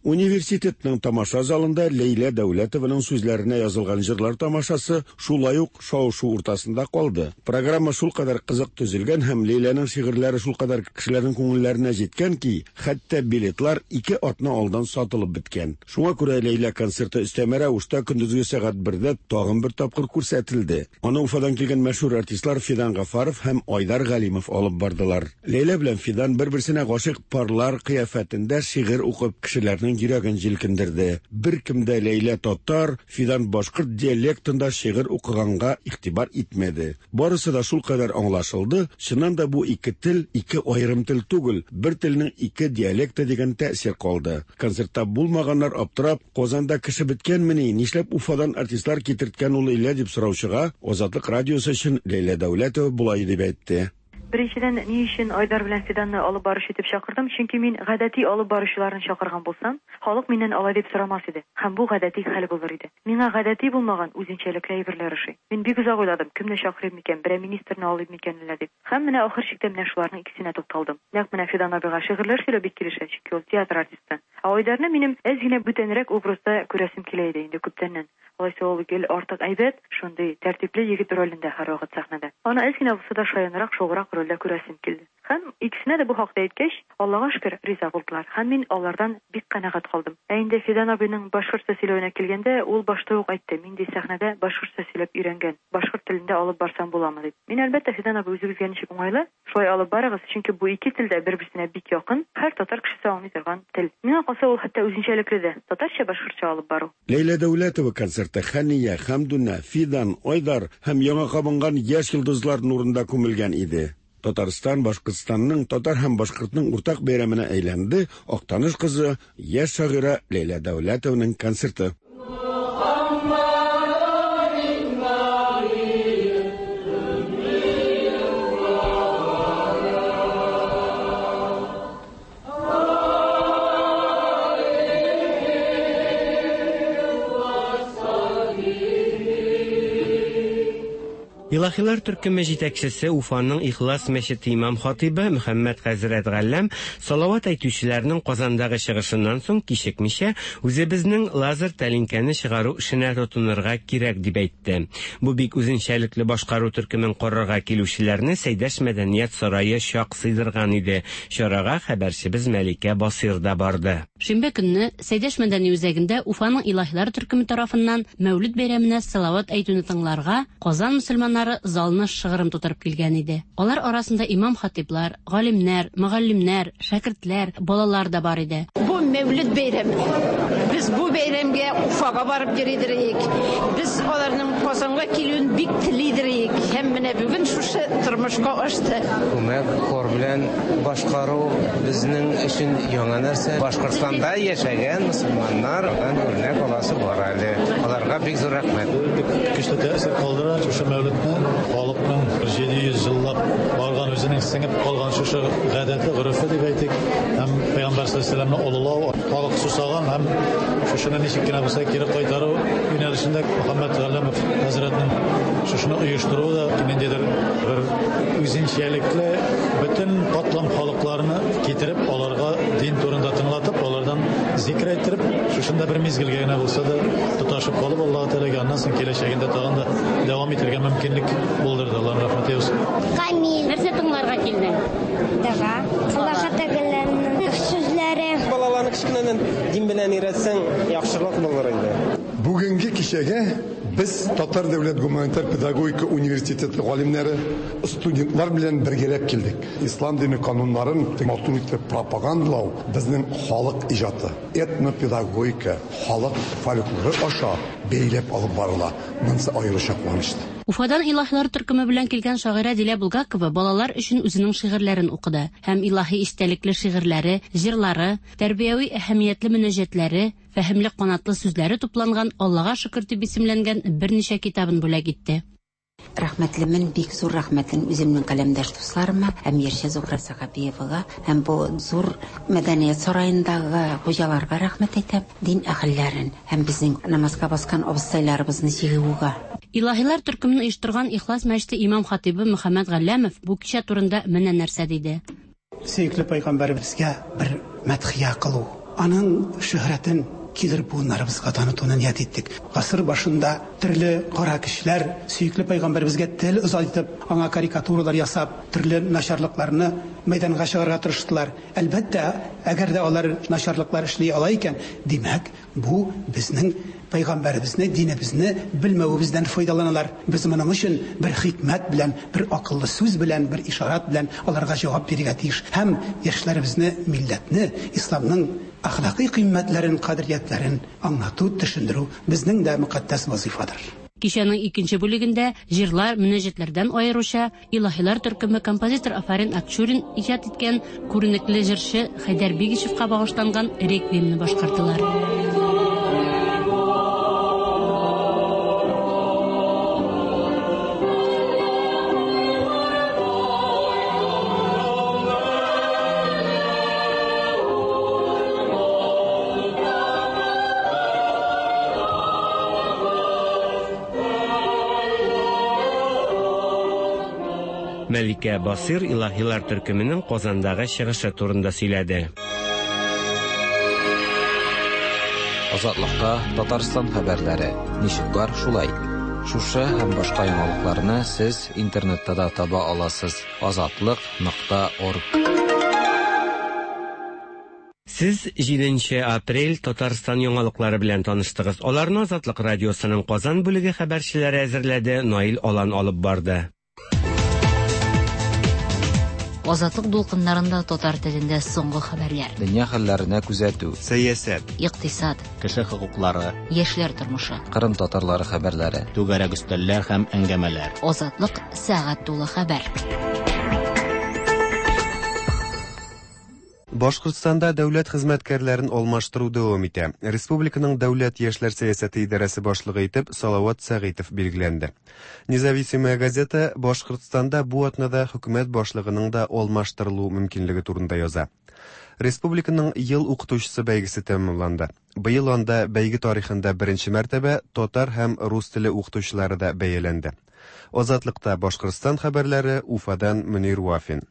Университетның тамаша залында Ләйлә Дәүләтованың сүзләренә язылган җырлар тамашасы шулай ук шау-шу уртасында калды. Программа шулкадәр кызык төзелгән һәм Ләйләнең шигырьләре шулкадәр кешеләрнең күңелләренә җиткән ки, хәтта билетлар ике атна алдан сатылып беткән. Шуңа күрә Ләйлә концерты өстәмә рәвештә көндезге сәгать бердә тагын бер тапкыр күрсәтелде. Аны Уфадан килгән мәшһүр артистлар Фидан Гафаров һәм Айдар Галимов алып бардылар. Ләйлә белән Фидан бер-берсенә гашыйк парлар кыяфәтендә шигырь укып кешеләрнең йөрәген җилкендерде. Бер кем дә Ләйлә татар, Фидан башкорт диалектында шигырь укыганга игътибар итмәде. Барысы да шулкадәр аңлашылды. Чыннан да бу ике тел ике аерым тел түгел, бер телнең ике диалекты дигән тәэсир калды. Концертта булмаганнар аптырап, Казанда кеше беткәнмени, нишләп Уфадан артистлар китерткән ул Ләйлә дип сораучыга Азатлык радиосы өчен Ләйлә Дәүләтова болай дип әйтте. Беренчедән, ни өчен Айдар белән Фиданны алып барыш итеп чакырдым? Чөнки мин гадәти алып баручыларны чакырган булсам, халык миннән алай дип сорамас иде. Һәм бу гадәти хәл булыр иде. Миңа гадәти булмаган үзенчәлекле әйберләр ошый. Мин бик озак уйладым, кемне чакырыйм микән, берәр министрны алыйм микән әллә дип. Һәм менә ахыр чиктә менә шуларның икесенә тукталдым. Нәкъ менә Фидан абыйга шигырьләр сөйләү бик килешә, чөнки ул театр артисты. Ә Айдарны минем әз генә бүтәнрәк образда күрәсем килә иде инде күптәннән. Алайса ул гел артык әйбәт, шундый тәртипле егет ролендә һәрвакыт сәхнәдә. Аны әз генә булса да шаянрак, шограк рольдә күрәсем килде. Һәм икесенә дә бу хакта әйткәч, Аллага шөкер, риза булдылар. Һәм мин алардан бик канәгать калдым. Ә инде Фидан абыйның башкортча сөйләвенә килгәндә, ул башта ук әйтте, мин ди сәхнәдә башкортча сөйләп өйрәнгән, башкорт телендә алып барсам буламы дип. Мин әлбәттә Фидан абый үзегезгә ничек уңайлы, шулай алып барыгыз, чөнки бу ике тел дә бер-берсенә бик якын, һәр татар кешесе аңлый торган тел. Миңа калса ул хәтта үзенчәлекле дә, татарча башкортча алып бару. Ләйлә Дәүләтова концерты Хәния, Хәмдүнә, Фидан, Айдар һәм яңа кабынган яшь йолдызлар нурында күмелгән иде. Татарстан, Башкортстанның, татар һәм башкортның уртак бәйрәменә әйләнде Актаныш кызы, яшь шагыйрә Ләйлә Дәүләтованың концерты. Илаһилар төркеме җитәкчесе Уфаның Ихлас мәчете имам хатибы Мөхәммәд хәзрәт Галләм салават әйтүчеләрнең Казандагы чыгышыннан соң кичекмичә үзебезнең лазер тәлинкәне чыгару эшенә тотынырга кирәк дип әйтте. Бу бик үзенчәлекле башкару төркемен карарга килүчеләрне Сәйдәш мәдәният сарае чак сыйдырган иде. Чарага хәбәрчебез Мәликә Басир да барды. Шимбә көнне Сәйдәш мәдәни үзәгендә Уфаның Илаһилар төркеме тарафыннан Мәүлид бәйрәменә салават әйтүне тыңларга Казан мөселманнары залны шыгрым тутырып килгән иде. Алар арасында имам хатиплар, галимнәр, мөгаллимнәр, шәкертләр, балалар да бар иде. Бу Мәүлид бәйрәме. Без бу бәйрәмгә Уфага барып йөридек. Без аларның Казанга килүен бик телидек. Һәм менә бүген шушы тормышка ашты. Күмәк хор белән башкару безнең өчен яңа нәрсә. Башкортстанда яшәгән мөселманнардан үрнәк аласы бар әле. Аларга бик зур рәхмәт. Бик көчле тәэсир калдыра шушы Мәүлидне. Халыкның җиде йөз еллап барган үзенең сеңеп калган шушы гадәте, горефе дип әйтик, һәм Пәйгамбәр саллаллаһу алейһи ва сәлләмне олылау, халык сусаган һәм шушыны ничек кенә булса кире кайтару юнәлешендә Мөхәммәд Галләмов хәзрәтнең шушыны оештыруы да ниндидер бер үзенчәлекле бөтен катлам халыкларны китереп, аларга дин турында тыңлатып, алардан зикр әйттереп, шушында бер мизгелгә генә булса да тоташып калып, Аллаһ Тәгаләгә аннан соң киләчәгендә тагын да дәвам итәргә мөмкинлек булдырды. Аллаһның рәхмәте булсын. Камил. Нәрсә тыңларга килдең? Дога. Аллаһ Тәгаләнең сүзләре. Балаларны кечкенәдән дин белән өйрәтсәң, яхшырак булыр инде. Бүгенге кичәгә без Татар дәүләт гуманитар педагогика университеты галимнәре, студентлар белән бергәләп килдек. Ислам дине кануннарын матур итеп пропагандалау безнең халык иҗаты, этнопедагогика, халык фольклоры аша бәйләп алып барыла. Монысы аеруча куанычлы. Уфадан Илаһилар төркеме белән килгән шагыйрә Дилә Булгакова балалар өчен үзенең шигырьләрен укыды һәм илаһи истәлекле шигырьләре, җырлары, тәрбияви әһәмиятле мөнәҗәтләре, фәһемле канатлы сүзләре тупланган Аллаһка шөкер дип исемләнгән берничә китабын бүләк итте. Рәхмәтлемен, бик зур рәхмәтен үземнең каләмдәш дусларыма, һәм Ерчә Зухра Сәхәбиевага, һәм бу зур мәдәният сараендагы хуҗаларга рәхмәт әйтәм, дин әһелләрен һәм безнең намазга баскан абыстайларыбызны җыюга. Илаһилар төркемен оештырган Ихлас мәчете имам хатибы Мөхәммәд Галләмов бу кичә турында менә нәрсә диде. Сөекле пәйгамбәребезгә бер мәдхия кылу, аның шөһрәтен килер буыннарыбызга танытуны ният иттек. Гасыр башында төрле кара кешеләр сөекле пәйгамбәребезгә тел озайтып, аңа карикатуралар ясап, төрле начарлыкларны мәйданга чыгарырга тырыштылар. Әлбәттә, әгәр дә алар начарлыклар эшли ала икән, димәк, бу безнең пәйгамбәребезне, динебезне белмәвебездән файдаланалар. Без моның өчен бер хикмәт белән, бер акыллы сүз белән, бер ишарат белән аларга җавап бирергә тиеш. Һәм яшьләребезне, милләтне, исламның әхлакый кыйммәтләрен, кадериятләрен аңлату, төшендерү безнең дә мөкатдәс вазифадыр. Кичәнең икенче бүлегендә җырлар, мөнәҗәтләрдән аеруча Илаһилар төркеме композитор Афарин Акчурин иҗат иткән күренекле җырчы Хәйдәр Бигичевка багышланган реквиемны башкардылар. Мәликә Басир Илаһилар төркеменең Казандагы чыгышы турында сөйләде. Азатлыкта Татарстан хәбәрләре. Ничек бар, шулай. Шушы һәм башка яңалыкларны сез интернетта да таба аласыз. азатлык нокта орг. Сез җиденче апрель Татарстан яңалыклары белән таныштыгыз. Аларны Азатлык радиосының Казан бүлеге хәбәрчеләре әзерләде, Наил Алан алып барды. Азатлык дулкыннарында татар телендә соңгы хәбәрләр. Дөнья хәлләренә күзәтү, сәясәт, икътисад, кеше хокуклары, яшьләр тормышы, Кырым татарлары хәбәрләре, түгәрәк өстәлләр һәм әңгәмәләр. Азатлык сәгать тулы хәбәр. Башкортстанда дәүләт хезмәткәрләрен алмаштыру дәвам итә. Республиканың дәүләт яшьләр сәясәте идарәсе башлыгы итеп Салават Сәгыйтов билгеләнде. Независимая газета Башкортстанда бу атнада хөкүмәт башлыгының да алмаштырылу мөмкинлеге турында яза. Республиканың ел укытучысы бәйгесе тәмамланды. Быел анда бәйге тарихында беренче мәртәбә татар һәм рус теле укытучылары да бәяләнде. Азатлыкта Башкортстан хәбәрләре, Уфадан Мөнир Вафин.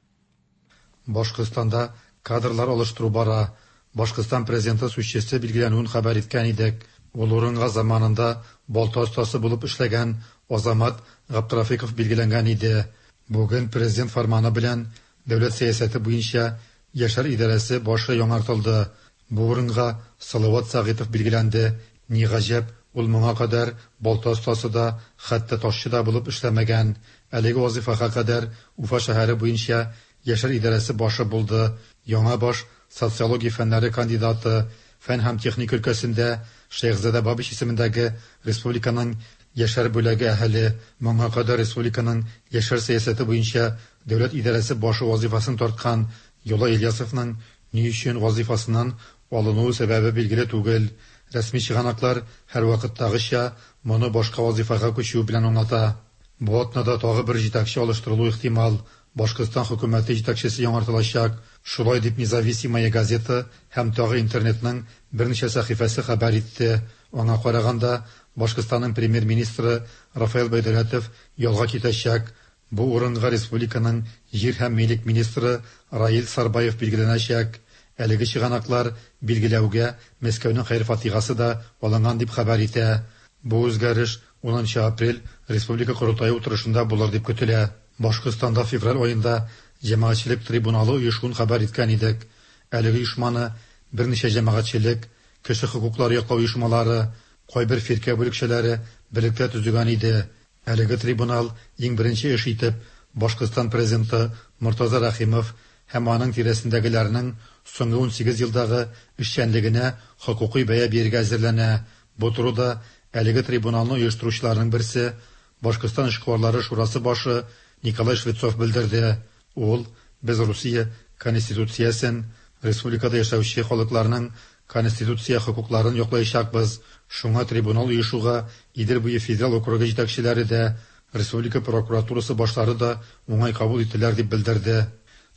Башкортстанда кадрлар алыштыру бара. Башкортстан президенты сүзчесе билгеләнүен хәбәр иткән идек. Ул урынга заманында балта остасы булып эшләгән Азамат Габдрафиков билгеләнгән иде. Бүген президент фарманы белән дәүләт сәясәте буенча Яшьләр идарәсе башы яңартылды. Бу урынга Салават Сәгыйтов билгеләнде. Ни гаҗәп, ул моңа кадәр балта остасы да, хәтта ташчы да булып эшләмәгән. Әлеге вазифага кадәр Уфа шәһәре буенча Яшьләр идарәсе башы булды. Яңа баш социология фәннәре кандидаты, фән һәм техника өлкәсендә Шәйхзадә Бабич исемендәге республиканың Яшьләр бүлеге әһеле, моңа кадәр республиканың яшьләр сәясәте буенча дәүләт идарәсе башы вазифасын тарткан Юла Ильясовның ни өчен вазифасыннан алынуы сәбәбе билгеле түгел. Рәсми чыганаклар һәрвакыттагыча моны башка вазифага күчү белән аңлата. Бу атнада тагы бер җитәкче алыштырылу ихтимал. Башкортстан хөкүмәте җитәкчесе яңартылачак. Шулай дип Независимая газета һәм тагы интернетның берничә сәхифәсе хәбәр итте. Аңа караганда, Башкортстанның премьер-министры Рафаэль Байдәүләтов ялга китәчәк. Бу урынга республиканың җир һәм милек министры Раил Сарбаев билгеләнәчәк. Әлеге чыганаклар билгеләүгә Мәскәүнең хәер-фатихасы да алынган дип хәбәр итә. Бу үзгәреш унынчы апрель Республика корылтае утырышында булыр дип көтелә. Башкортстанда февраль аенда җәмәгатьчелек трибуналы оешуын хәбәр иткән идек. Әлеге оешманы берничә җәмәгатьчелек, кеше хокуклары яклау оешмалары, кайбер фиркә бүлекчәләре берлектә төзегән иде. Әлеге трибунал иң беренче эш итеп Башкортстан президенты Мортаза Рәхимов һәм аның тирәсендәгеләрнең соңгы унсигез елдагы эшчәнлегенә хокукый бәя бирергә әзерләнә. Бу турыда әлеге трибуналны оештыручыларның берсе Башкортстан эшкуарлары шурасы башы Николай Швецов белдерде. Ул без Русия конституциясен, республикада яшәүче халыкларның конституция хокукларын яклаячакбыз. Шуңа трибунал оешуга Идел буе федераль округы җитәкчеләре дә, республика прокуратурасы башлары да уңай кабул иттеләр дип белдерде.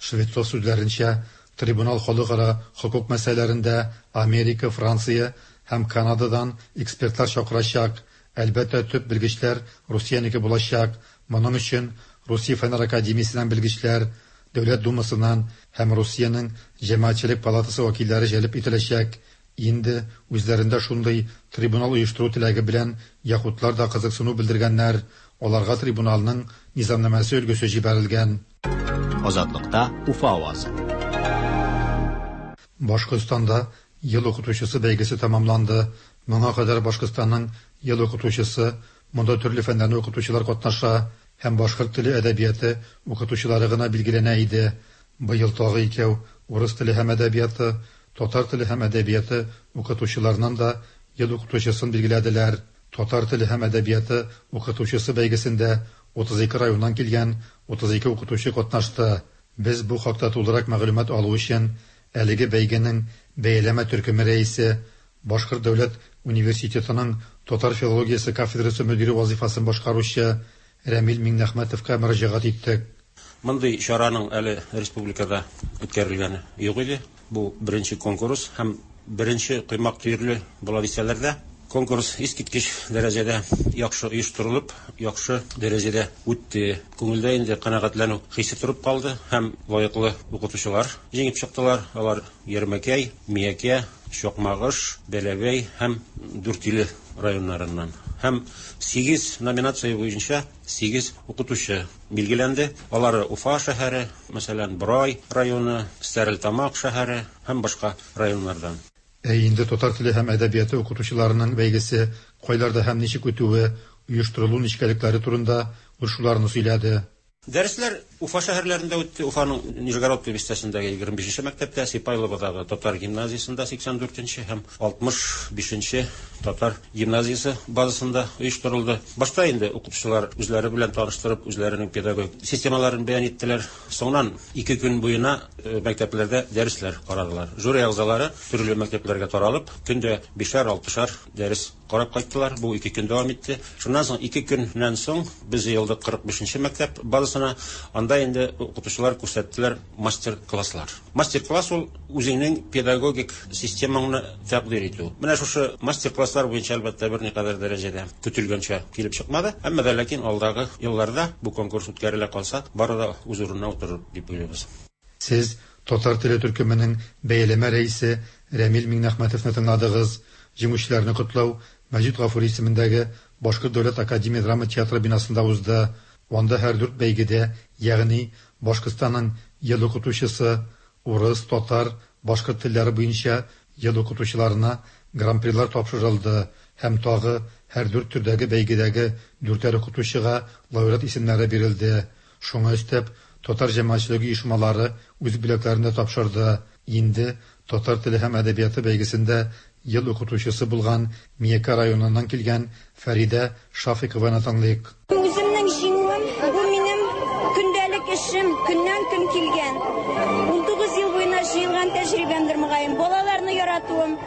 Швецов сүзләренчә, трибунал халыкара хокук мәсьәләләрендә Америка, Франция һәм Канададан экспертлар чакырачак. Әлбәттә, төп белгечләр Русиянеке булачак. Моның өчен Русия Фәннәр академиясеннән белгечләр, Дәүләт Думасыннан һәм Русиянең Җәмәгатьчелек палатасы вәкилләре җәлеп ителәчәк. Инде үзләрендә шундый трибунал оештыру теләге белән якутлар да кызыксыну белдергәннәр. Аларга трибуналның низамнамәсе өлгесе җибәрелгән. Азатлыкта Уфа авазы. Башкортстанда ел укытучысы бәйгесе тәмамланды. Моңа кадәр Башкортстанның ел укытучысы, монда төрле фәннәрне укытучылар катнаша һәм башкорт теле әдәбияты укытучылары гына билгеләнә иде. Быел тагы икәү урыс теле һәм әдәбияты, татар теле һәм әдәбияты укытучыларынан да ел укытучысын билгеләделәр. Татар теле һәм әдәбияты укытучысы бәйгесендә утыз ике районнан килгән утыз ике укытучы катнашты. Без бу хакта тулырак мәгълүмат алу өчен әлеге бәйгенең бәяләмә төркеме рәисе, Башкорт дәүләт университетының татар филологиясе кафедрасы мөдире вазифасын башкаручы Рәмил Миңнәхмәтовка мөрәҗәгать иттек. Мондый чараның әле республикада үткәрелгәне юк иде. Бу беренче конкурс һәм беренче коймак төерле була дисәләр дә, конкурс искиткеч дәрәҗәдә яхшы оештырылып, яхшы дәрәҗәдә үтте. Күңелдә инде канәгатьләнү хисе торып калды һәм лаеклы укытучылар җиңеп чыктылар. Алар Ярмәкәй, Миякә, Чакмагыш, Бәләбәй һәм Дүртөйле районнарыннан. Һәм сигез номинация буенча сигез укытучы билгеләнде. Алары Уфа шәһәре, мәсәлән, Борай районы, Стәрлетамак шәһәре һәм башка районнардан. Ә инде татар теле һәм әдәбияты укытучыларының бәйгесе кайларда һәм ничек үтүе, оештырылу нечкәлекләре турында ул шуларны сөйләде. Дәресләр Уфа шәһәрләрендә үтте. Уфаның Нижегородка бистәсендәге егерме бишенче мәктәптә, Сипайловодагы татар гимназиясендә сиксән дүртенче һәм алтмыш бишенче татар гимназиясе базасында оештырылды. Башта инде укытучылар үзләре белән таныштырып, үзләренең педагогик системаларын бәян иттеләр. Соңыннан ике көн буена мәктәпләрдә дәресләр карадылар. Жюри әгъзалары төрле мәктәпләргә таралып, көндә бишәр-алтышар дәрес карап кайттылар. Бу ике көн дәвам итте. Шуннан соң ике көннән соң без җыелдык кырык бишенче мәктәп базасында. бинасына. Анда инде укытучылар күрсәттеләр мастер-класслар. Мастер-класс ул үзеңнең педагогик системаңны тәкъдир итү. Менә шушы мастер-класслар буенча әлбәттә берникадәр дәрәҗәдә көтелгәнчә килеп чыкмады. Әмма дә ләкин алдагы елларда бу конкурс үткәрелә калса, бары да үз урынына утырыр дип уйлыйбыз. Сез татар теле төркеменең бәяләмә рәисе Рәмил Миңнәхмәтовны тыңладыгыз. Җиңүчеләрне котлау Мәҗит Гафури исемендәге Башкорт дәүләт академия драма театры бинасында узды. Анда һәр дүрт бәйгедә, ягъни Башкортстанның ел укытучысы, урыс, татар, башкорт телләре буенча ел укытучыларына гран-прилар тапшырылды һәм тагы һәр дүрт төрдәге бәйгедәге дүртәр укытучыга лауреат исемнәре бирелде. Шуңа өстәп, татар җәмәгатьчелеге оешмалары үз бүләкләрен дә тапшырды. Инде татар теле һәм әдәбияты бәйгесендә ел укытучысы булган Миякә районыннан килгән Фәридә Шафикованы тыңлыйк. Үземнең җиңүем бу минем көндәлек эшем, көннән-көн килгән. Унтугыз ел буена җыелган тәҗрибәмдер мөгаен. Балаларны яратуым,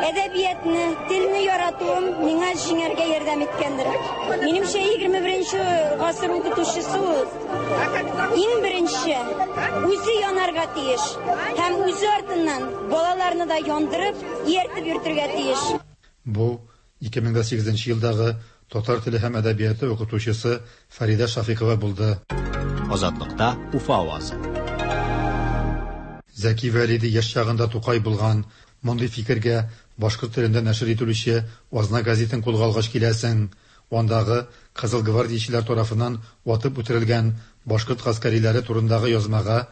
әдәбиятны, телне яратуым миңа җиңәргә ярдәм иткәндер. Минемчә, егерме беренче гасыр укытучысы ул иң беренче үзе янарга тиеш һәм үзе артыннан балаларны да яндырып, ияртеп йөртергә тиеш. Бу ике мең сигезенче елдагы татар теле һәм әдәбияты укытучысы Фәридә Шафикова булды. Азатлыкта Уфа авазы. Зәки Вәлиди яшь чагында Тукай булган. Мондый фикергә башкорт телендә нәшер ителүче Азна газетын кулга алгач киләсең. Андагы Кызыл гвардиячеләр тарафыннан атып үтерелгән башкорт гаскәриләре турындагы язмага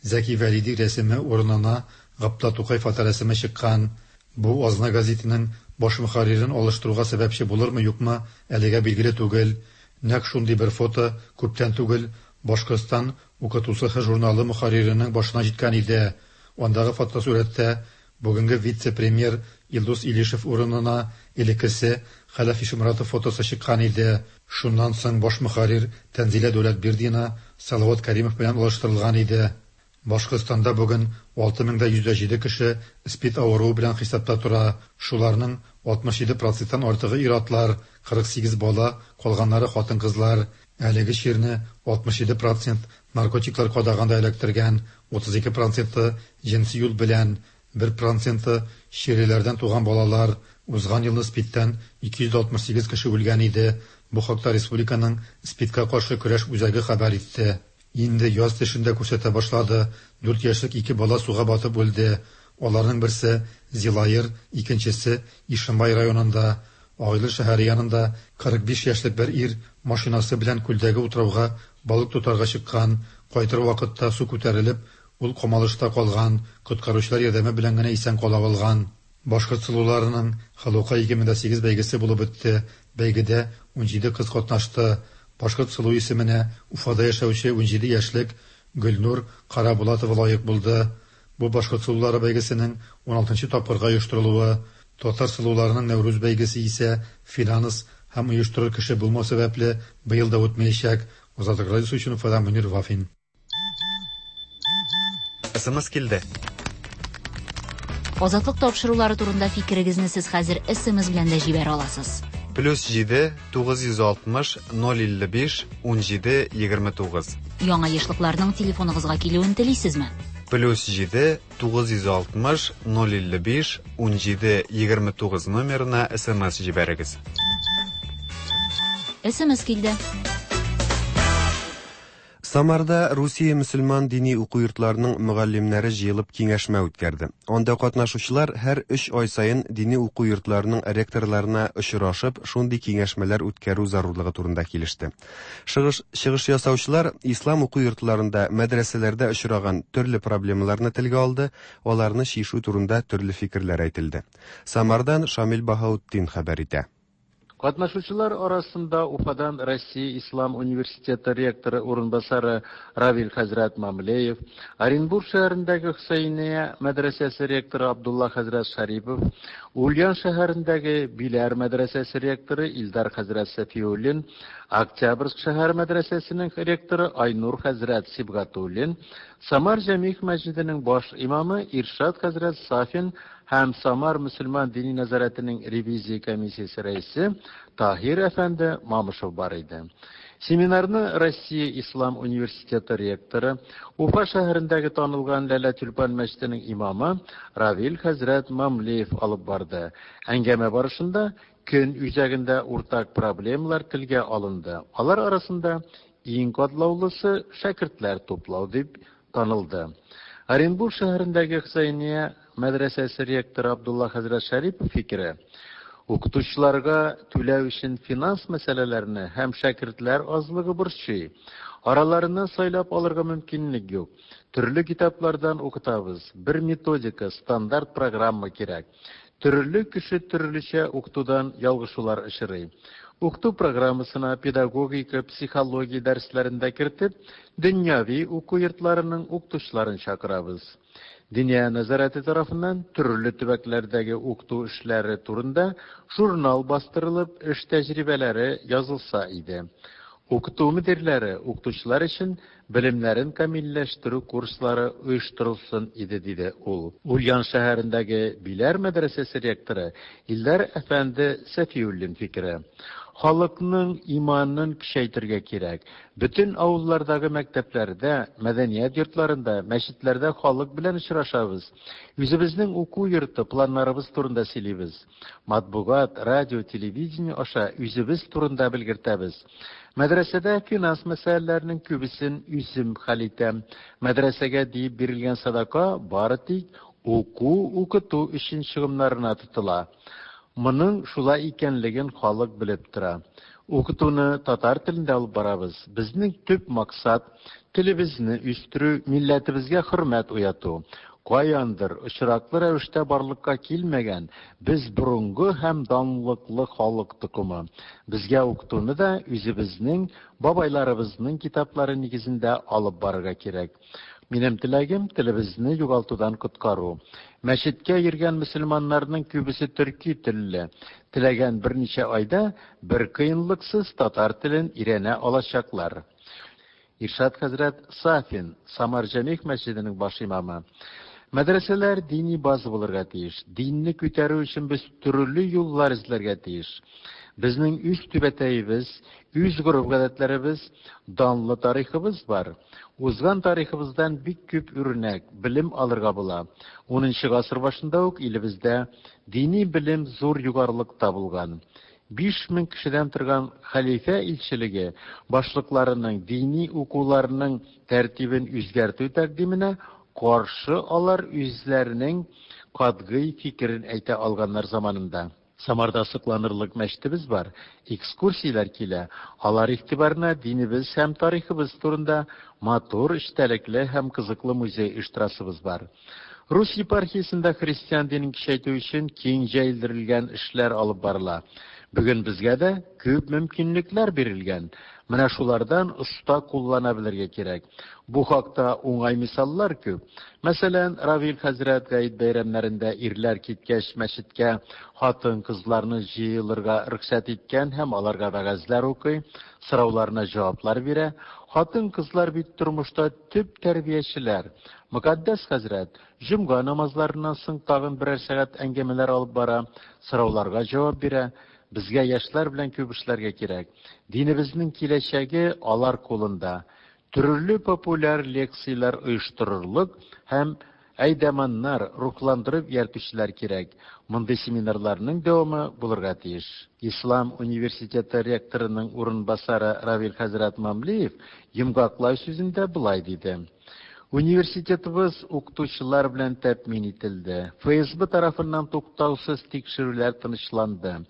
Зәки Вәлиди рәсеме урынына Габдулла Тукай фоторәсеме чыккан. Бу Азна газетының баш мөхәррирен алыштыруга сәбәпче булырмы, юкмы, әлегә билгеле түгел. Нәкъ шундый бер фото күптән түгел Башкортстан укытучысы журналы мөхәрриренең башына җиткән иде. Андагы фотосурәттә бүгенге вице-премьер Илдус Илишев урынына элеккесе Хәләф Ишмуратов фотосы чыккан иде. Шуннан соң баш мөхәррир Тәнзилә Дәүләтбирдина Салават Каримов белән алыштырылган иде. Башкортстанда бүген алты мең йөз җиде кеше СПИД авыруы белән хисапта тора. Шуларның алтмыш җиде проценттан артыгы ир-атлар, кырык сигез бала, калганнары хатын-кызлар. Әлеге чирне алтмыш җиде процент наркотиклар кадаганда эләктергән, утыз ике проценты җенси юл белән, бер проценты чирлеләрдән туган балалар. Узган елны СПИДтән ике йөз алтмыш сигез кеше үлгән иде. Бу хакта республиканың СПИДка каршы көрәш үзәге хәбәр итте. Инде яз төшендә күрсәтә башлады. Дүрт яшьлек ике бала суга батып үлде. Аларның берсе Зилаер, икенчесе Ишембай районында. Агыйдел шәһәре янында кырык биш яшьлек бер ир машинасы белән күлдәге утрауга балык тотарга чыккан. Кайтыр вакытта су күтәрелеп, ул камалышта калган. Коткаручылар ярдәме белән генә исән кала алган. Башкорт сылуларының Халука ике мең сигез бәйгесе булып үтте. Бәйгедә унҗиде кыз катнашты. Башкорт сылу исеменә Уфада яшәүче унҗиде яшьлек Гөлнур Карабулатова лаек булды. Бу башкорт сылулары бәйгесенең уналтынчы тапкырга оештырылуы. Татар сылуларының Нәүрүз бәйгесе исә финанс һәм оештырыр кеше булмау сәбәпле быел да үтмәячәк. Азатлык радиосы өчен Уфадан Мөнир Вафин. СМС килде. Азатлык тапшырулары турында фикерегезне сез хәзер СМС белән дә җибәрә аласыз. Плюс җиде тугыз йөз алтмыш ноль илле биш ун җиде егерме тугыз. Яңа ешлыкларның телефоныгызга килүен телисезме? Плюс җиде тугыз йөз алтмыш ноль илле биш ун җиде егерме тугыз номерына СМС җибәрегез. СМС килде. Самарда Русия мөселман дини уку йортларының мөгаллимнәре җыелып киңәшмә үткәрде. Анда катнашучылар һәр өч ай саен дини уку йортларының ректорларына очрашып, шундый киңәшмәләр үткәрү зарурлыгы турында килеште. Чыгыш, чыгыш ясаучылар ислам уку йортларында, мәдрәсәләрдә очраган төрле проблемаларны телгә алды, аларны чишү турында төрле фикерләр әйтелде. Самардан Шамил Баһаутдин хәбәр итә. Катнашучылар арасында Уфадан Россия Ислам университеты ректоры урынбасары Равил хәзрәт Мамлеев, Оренбург шәһәрендәге Хөсәйния мәдрәсәсе ректоры Абдулла хәзрәт Шарипов, Ульян шәһәрендәге Биләр мәдрәсәсе ректоры Илдар хәзрәт Сафиуллин, Октябрьск шәһәр мәдрәсәсенең ректоры Айнур хәзрәт Сибгатуллин, Самар Җәмигъ мәсҗиденең баш имамы Иршат хәзрәт Сафин һәм Самар мөселман дини нәзарәтенең ревизия комиссиясе рәисе Таһир әфәнде Мамышев бар иде. Семинарны Россия Ислам университеты ректоры, Уфа шәһәрендәге танылган Ләлә Тюльпан мәчетенең имамы Равил хәзрәт Мамлеев алып барды. Әңгәмә барышында көн үзәгендә уртак проблемалар телгә алынды. Алар арасында иң катлаулысы шәкертләр туплау дип танылды. Оренбург шәһәрендәге Хөсәения мәдрәсәсе ректоры Абдулла хәзрәт Шәрипов фикере: укытучыларга түләү өчен финанс мәсьәләләрне һәм шәкертләр азлыгы борчый. Араларыннан сайлап алырга мөмкинлек юк. Төрле китаплардан укытабыз. Бер методика, стандарт программа кирәк. Төрле кеше төрлечә укытудан ялгышулар очрый. Укыту программасына педагогика, психология дәресләрен дә кертеп, дөньяви уку йортларының укытучыларын чакырабыз. Диния нәзарәте тарафыннан төрле төбәкләрдәге укыту эшләре турында журнал бастырылып, эш тәҗрибәләре язылса иде. Укыту мөдирләре, укытучылар өчен белемнәрен камилләштерү курслары оештырылсын иде, диде ул. Ульян шәһәрендәге Биләр мәдрәсәсе ректоры Илдар әфәнде Сәфиуллин фикере: халыкның иманын көчәйтергә кирәк. Бөтен авыллардагы мәктәпләрдә, мәдәният йортларында, мәчетләрдә халык белән очрашабыз. Үзебезнең уку йорты планнарыбыз турында сөйлибез. Матбугат, радио, телевидение аша үзебез турында белгертәбез. Мәдрәсәдә финанс мәсьәләләренең күбесен үзем хәл итәм. Мәдрәсәгә диеп бирелгән садака бары тик уку, укыту өчен чыгымнарына тотыла. Моның шулай икәнлеген халык белеп тора. Укытуны татар телендә алып барабыз. Безнең төп максат телебезне үстерү, милләтебезгә хөрмәт уяту. Каяндыр очраклы рәвештә барлыкка килмәгән без борынгы һәм данлыклы халык токымы. Безгә укытуны да үзебезнең бабайларыбызның китаплары нигезендә алып барырга кирәк. Минем теләгем телебезне югалтудан коткару. Мәчеткә йөргән мөселманнарның күбесе төрки телле. Теләгән берничә айда бер кыенлыксыз татар телен өйрәнә алачаклар. Иршат хәзрәт Сафин, Самар Җәмигъ мәчетенең баш имамы. Мәдрәсәләр дини база булырга тиеш. Динне күтәрү өчен без төрле юллар эзләргә тиеш. Безнең үз түбәтәебез, үз гореф-гадәтләребез, данлы тарихыбыз бар. Узган тарихыбыздан бик күп үрнәк, белем алырга була. Унынчы гасыр башында ук илебездә дини белем зур югарылыкта булган. Биш мең кешедән торган хәлифә илчелеге башлыкларының дини укуларының тәртибен үзгәртү тәкъдименә каршы алар үзләренең катгый фикерен әйтә алганнар заманында. Самарда сокланырлык мәчетебез бар, экскурсияләр килә. Алар игътибарына динебез һәм тарихыбыз турында матур, эчтәлекле һәм кызыклы музей оештырасыбыз бар. Рус епархиясендә христиан динен көчәйтү өчен киң җәелдерелгән эшләр алып барыла. Бүген безгә дә күп мөмкинлекләр бирелгән. Менә шулардан оста куллана белергә кирәк. Бу хакта уңай мисаллар күп. Мәсәлән, Равил хәзрәт гает бәйрәмнәрендә ирләр киткәч мәчеткә хатын-кызларны җыелырга рөхсәт иткән һәм аларга вәгазьләр укый, сорауларына җаваплар бирә. Хатын-кызлар бит тормышта төп тәрбиячеләр. Мөкаддәс хәзрәт җомга намазларыннан соң тагын берәр сәгать әңгәмәләр алып бара, сорауларга җавап бирә. Безгә яшьләр белән күп эшләргә кирәк. Динебезнең киләчәге алар кулында. Төрле популяр лекцияләр оештырырлык һәм әйдәманнар, рухландырып ияртүчеләр кирәк. Мондый семинарларның дәвамы булырга тиеш. Ислам университеты ректорының урынбасары Равил хәзрәт Мамлеев йомгаклау сүзендә болай диде: Университетыбыз укытучылар белән тәэмин ителде. Эф Эс Бэ тарафыннан туктаусыз тикшерүләр тынычланды.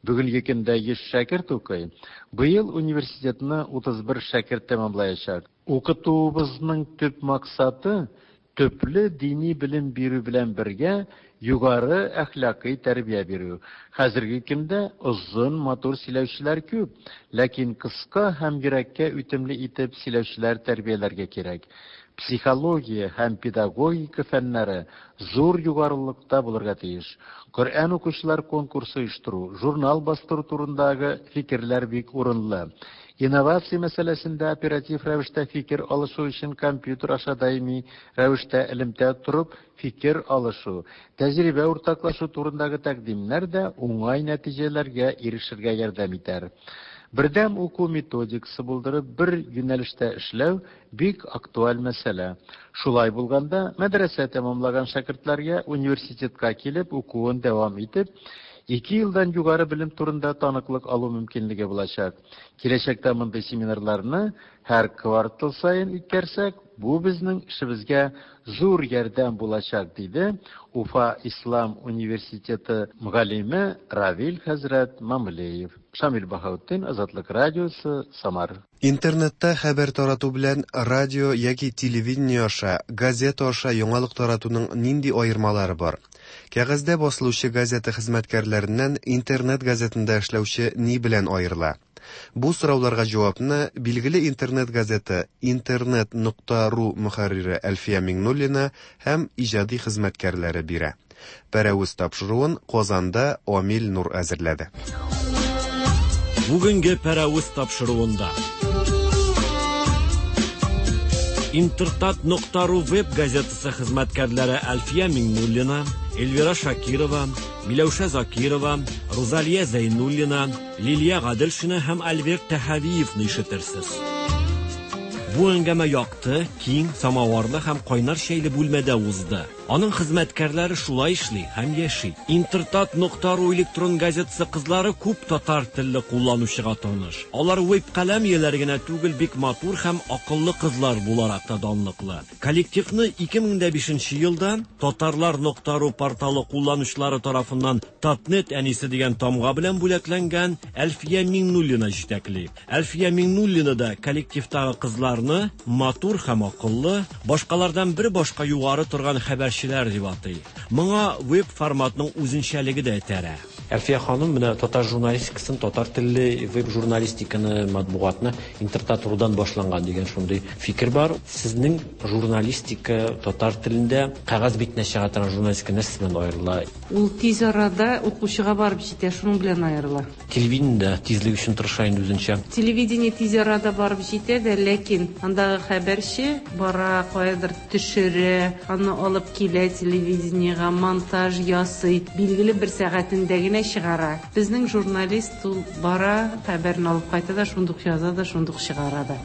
Бүгенге көндә йөз шәкерт укый. Быел университетны утыз бер шәкерт тәмамлаячак. Укытуыбызның төп максаты төпле дини белем бирү белән бергә югары әхлакый тәрбия бирү. Хәзерге көндә озын, матур сөйләүчеләр күп, ләкин кыска һәм йөрәккә үтемле итеп сөйләүчеләр тәрбияләргә кирәк. Психология һәм педагогика фәннәре зур югарылыкта булырга тиеш. Коръән укучылар конкурсы оештыру, журнал бастыру турындагы фикерләр бик урынлы. Инновация мәсьәләсендә оператив рәвештә фикер алышу өчен компьютер аша даими рәвештә элемтә торып фикер алышу, тәҗрибә уртаклашу турындагы тәкъдимнәр дә уңай нәтиҗәләргә ирешергә ярдәм итәр. Бердәм уку методикасы булдырып, бер юнәлештә эшләү бик актуаль мәсьәлә. Шулай булганда, мәдрәсә тәмамлаган шәкертләргә университетка килеп укуын дәвам итеп, ике елдан югары белем турында таныклык алу мөмкинлеге булачак. Киләчәктә мондый семинарларны һәр квартал саен үткәрсәк, бу безнең эшебезгә зур ярдәм булачак, диде Уфа Ислам университеты мөгаллиме Равил хәзрәт Мамлеев. Шамил Баһаутдин, Азатлык радиосы, Самар. Интернетта хәбәр тарату белән радио яки телевидение аша, газета аша яңалык таратуның нинди аермалары бар? Кәгазьдә басылучы газета хезмәткәрләреннән интернет газетында эшләүче ни белән аерыла? Бу сорауларга җавапны билгеле интернет газеты интернет нокта ру мөхәррире Әлфия Миңнуллина һәм иҗади хезмәткәрләре бирә. Пәрәвез тапшыруын Казанда Амил Нур әзерләде. Бүгенге Пәрәвез тапшыруында Интертат нокта ру веб газетасы хезмәткәрләре Әлфия Миңнуллина, Эльвира Шакирова, Миләүшә Закирова, Рузалия Зәйнуллина, Лилия Гаделшина һәм Альберт Тәһавиевны ишетерсез. Бу әңгәмә якты, киң, самаварлы һәм кайнар чәйле бүлмәдә узды. Аның хезмәткәрләре шулай эшли һәм яши. Интертат нокта ру электрон газетасы кызлары күп татар телле кулланучыга таныш. Алар веб каләм ияләре генә түгел, бик матур һәм акыллы кызлар буларак та данлыклы. Коллективны ике мең дә бишенче елда татарлар нокта ру порталы кулланучылары тарафыннан Татнет әнисе дигән тамга белән бүләкләнгән Әлфия Миңнуллина җитәкли. Әлфия Миңнуллина да коллективтагы кызларны матур һәм акыллы, башкалардан бер башка югары торган хәбәрчеләр дип атый. Моңа веб форматның үзенчәлеге дә этәрә. Әлфия ханым, менә татар журналистикасын, татар телле веб журналистиканы, матбугатны Интертат рудан башланган дигән шундый фикер бар. Сезнең журналистика татар телендә кәгазь битенә чыга торган журналистика нәрсә белән аерыла? Ул тиз арада укучыга барып җитә, шуның белән аерыла. Телевидениедә тизлек өчен тырыша инде үзенчә. Телевидение тиз арада барып җитә дә, ләкин андагы хәбәрче бара, каядыр төшерә, аны алып килә телевидениегә, монтаж ясый, билгеле бер сәгатендә генә чыгара. Безнең журналист ул бара, хәбәрне алып кайта да, шундук яза да, шундук чыгара да.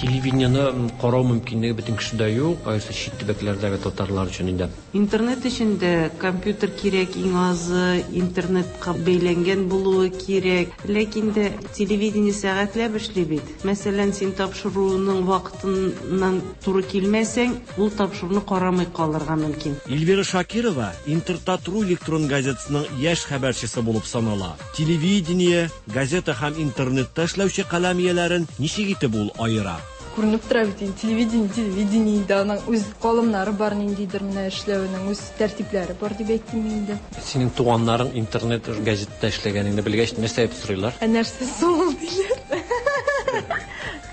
Телевидениене карау мөмкинлеге бөтен кешедә юк, аеруча чит төбәкләрдәге татарлар өчен инде. Интернет өчен дә компьютер кирәк, иң азы интернетка бәйләнгән булуы кирәк. Ләкин дә телевидение сәгатьләп эшли бит. Мәсәлән, син тапшыруның вакытыннан туры килмәсәң, ул тапшыруны карамый калырга мөмкин. Эльвира Шакирова Интертат ру электрон газетасының яшь хәбәрчесе булып санала. Телевидение, газета һәм интернетта эшләүче каләм ияләрен ничек итеп ул аера? Күренеп тора бит инде, телевидение, телевидение дә, аның үз калымнары бар, ниндидер менә эшләвенең үз тәртипләре бар дип әйтим инде. Синең туганнарың интернет газетта эшләгәнеңне белгәч, нәрсә дип сорыйлар? Ә нәрсә соң диләр?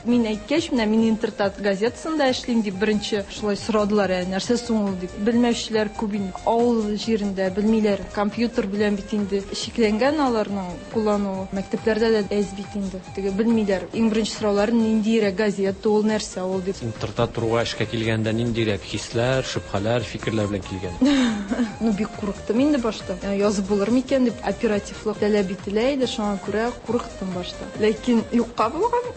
Мин әйткәч, менә мин Интертат газетасында эшлим дип беренче шулай сорадылар, ә нәрсә соң ул дип. Белмәүчеләр күп инде. Авыл җирендә белмиләр. Компьютер белән бит инде чикләнгән аларның куллануы. Мәктәпләрдә дә әз бит инде. Теге белмиләр. Иң беренче сораулары ниндирәк газета ул, нәрсә ул дип. Интертат руга эшкә килгәндә ниндирәк хисләр, шөбһәләр, фикерләр белән килгән? Ну, бик курыктым инде башта. Язып булыр микән дип оперативлык таләп ителә иде, шуңа күрә курыктым башта. Ләкин юкка булган.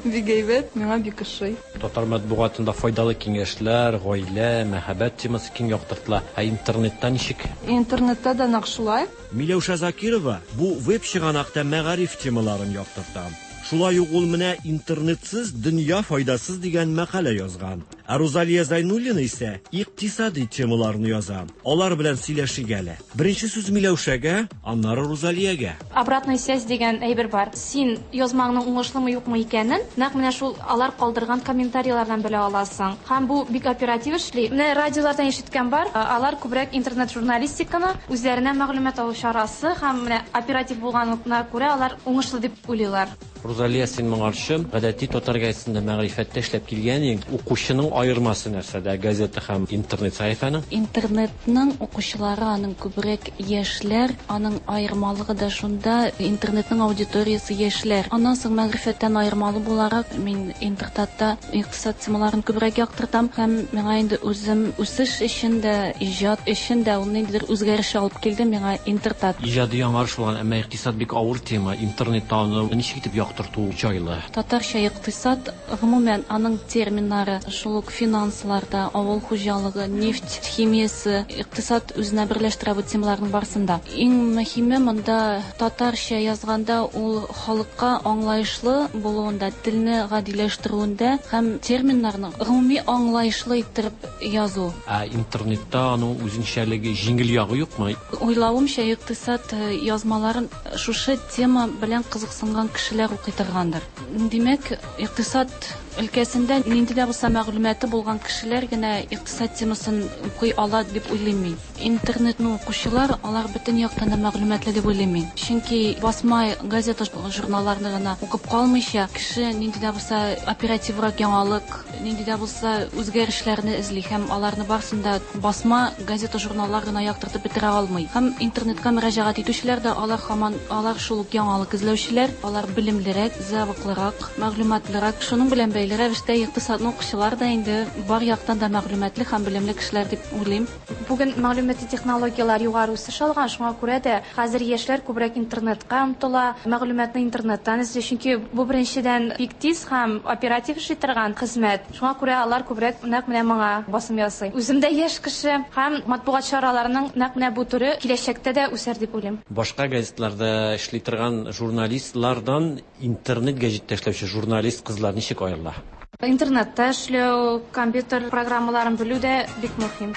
Бик әйбәт, миңа бик ошый. Татар матбугатында файдалы киңәшләр, гаилә, мәхәббәт темасы киң яктыртыла. Ә интернетта ничек? Интернетта да нәкъ шулай. Миләүшә Закирова бу веб чыганакта мәгариф темаларын яктырта. Шулай ук ул менә интернетсыз дөнья файдасыз дигән мәкалә язган. Ә Рузалия Зайнуллина исә икътисади темаларны яза. Алар белән сөйләшик әле. Беренче сүз Миләүшәгә, аннары Рузалиягә. Обратная связь дигән әйбер бар. Син язмаңның уңышлымы юкмы икәнен нәкъ менә шул алар калдырган комментарийлардан белә аласың. Һәм бу бик оператив эшли. Менә радиолардан ишеткән бар. Алар күбрәк интернет журналистиканы үзләренә мәгълүмат алу чарасы һәм менә оператив булганлыгына күрә алар уңышлы дип уйлыйлар. Рузалия, син моңарчы гадәти татар газетасында мәгърифәттә эшләп килгән идең. Укучының Аермасы нәрсәдә газета һәм интернет сәхифәнең? Интернетның укучылары аның күбрәк яшьләр, аның аермалыгы да шунда, интернетның аудиториясе яшьләр. Аннан соң мәгърифәттән аермалы буларак мин Интертатта икътисад темаларын күбрәк яктыртам һәм миңа инде үзем үсеш өчен дә, иҗат өчен дә ул ниндидер үзгәреш алып килде миңа Интертат. Иҗади яңарыш булган, әмма икътисад бик авыр тема. Интернетта аны ничек итеп яктырту җайлы? Татарча икътисад, гомумән аның терминнары, шул ук финансларда, авыл хуҗалыгы, нефть химиясе, икътисад үзенә берләштерә бу темаларның барысын да. Иң мөһиме монда татарча язганда ул халыкка аңлаешлы булуында, телне гадиләштерүендә һәм терминнарны гомуми аңлаешлы иттереп язу. Ә интернетта аның үзенчәлеге, җиңел ягы юкмы? Уйлавымча, икътисад язмаларын шушы тема белән кызыксынган кешеләр укый торгандыр. Димәк, икътисад өлкәсендә нинди дә булса мәгълүматы булган кешеләр генә икътисад темасын укый ала дип уйлыйм мин. Интернетны укучылар, алар бөтен яктан да мәгълүматлы дип уйлыйм мин. Чөнки басма газета, журналларны гына укып калмыйча, кеше нинди дә булса оперативрак яңалык, нинди дә булса үзгәрешләрне эзли һәм аларны барысын да басма газета, журналлар гына яктыртып бетерә алмый. Һәм интернетка мөрәҗәгать итүчеләр дә алар һаман алар шул ук яңалык эзләүчеләр, алар белемлерәк, зәвыклырак, мәгълүматлырак. Шуның белән бәйле рәвештә икътисадны укучылар да инде бар яктан да мәгълүматлы һәм белемле кешеләр дип уйлыйм. Бүген мәгълүмати технологияләр югары үсеш алган, шуңа күрә дә хәзер яшьләр күбрәк интернетка омтыла, мәгълүматны интернеттан эзли, чөнки бу беренчедән бик тиз һәм оператив эшли торган хезмәт. Шуңа күрә алар күбрәк нәкъ менә моңа басым ясый. Үзем дә яшь кеше һәм матбугат чараларының нәкъ менә бу төре киләчәктә дә үсәр дип уйлыйм. Башка газетларда эшли торган журналистлардан интернет гәҗиттә эшләүче журналист кызлар ничек аерыла? Интернетта эшләү, компьютер программаларын белү дә бик мөһим.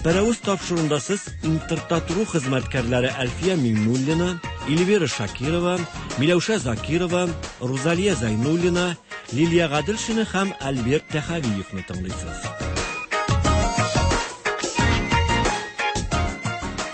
Пәрәвез тапшыруында сез Интертат.ру хезмәткәрләре Әлфия Миңнуллина, Эльвира Шакирова, Миләүшә Закирова, Рузалия Зайнуллина, Лилия Гаделшина һәм Альберт Тәхәвиевны тыңлыйсыз.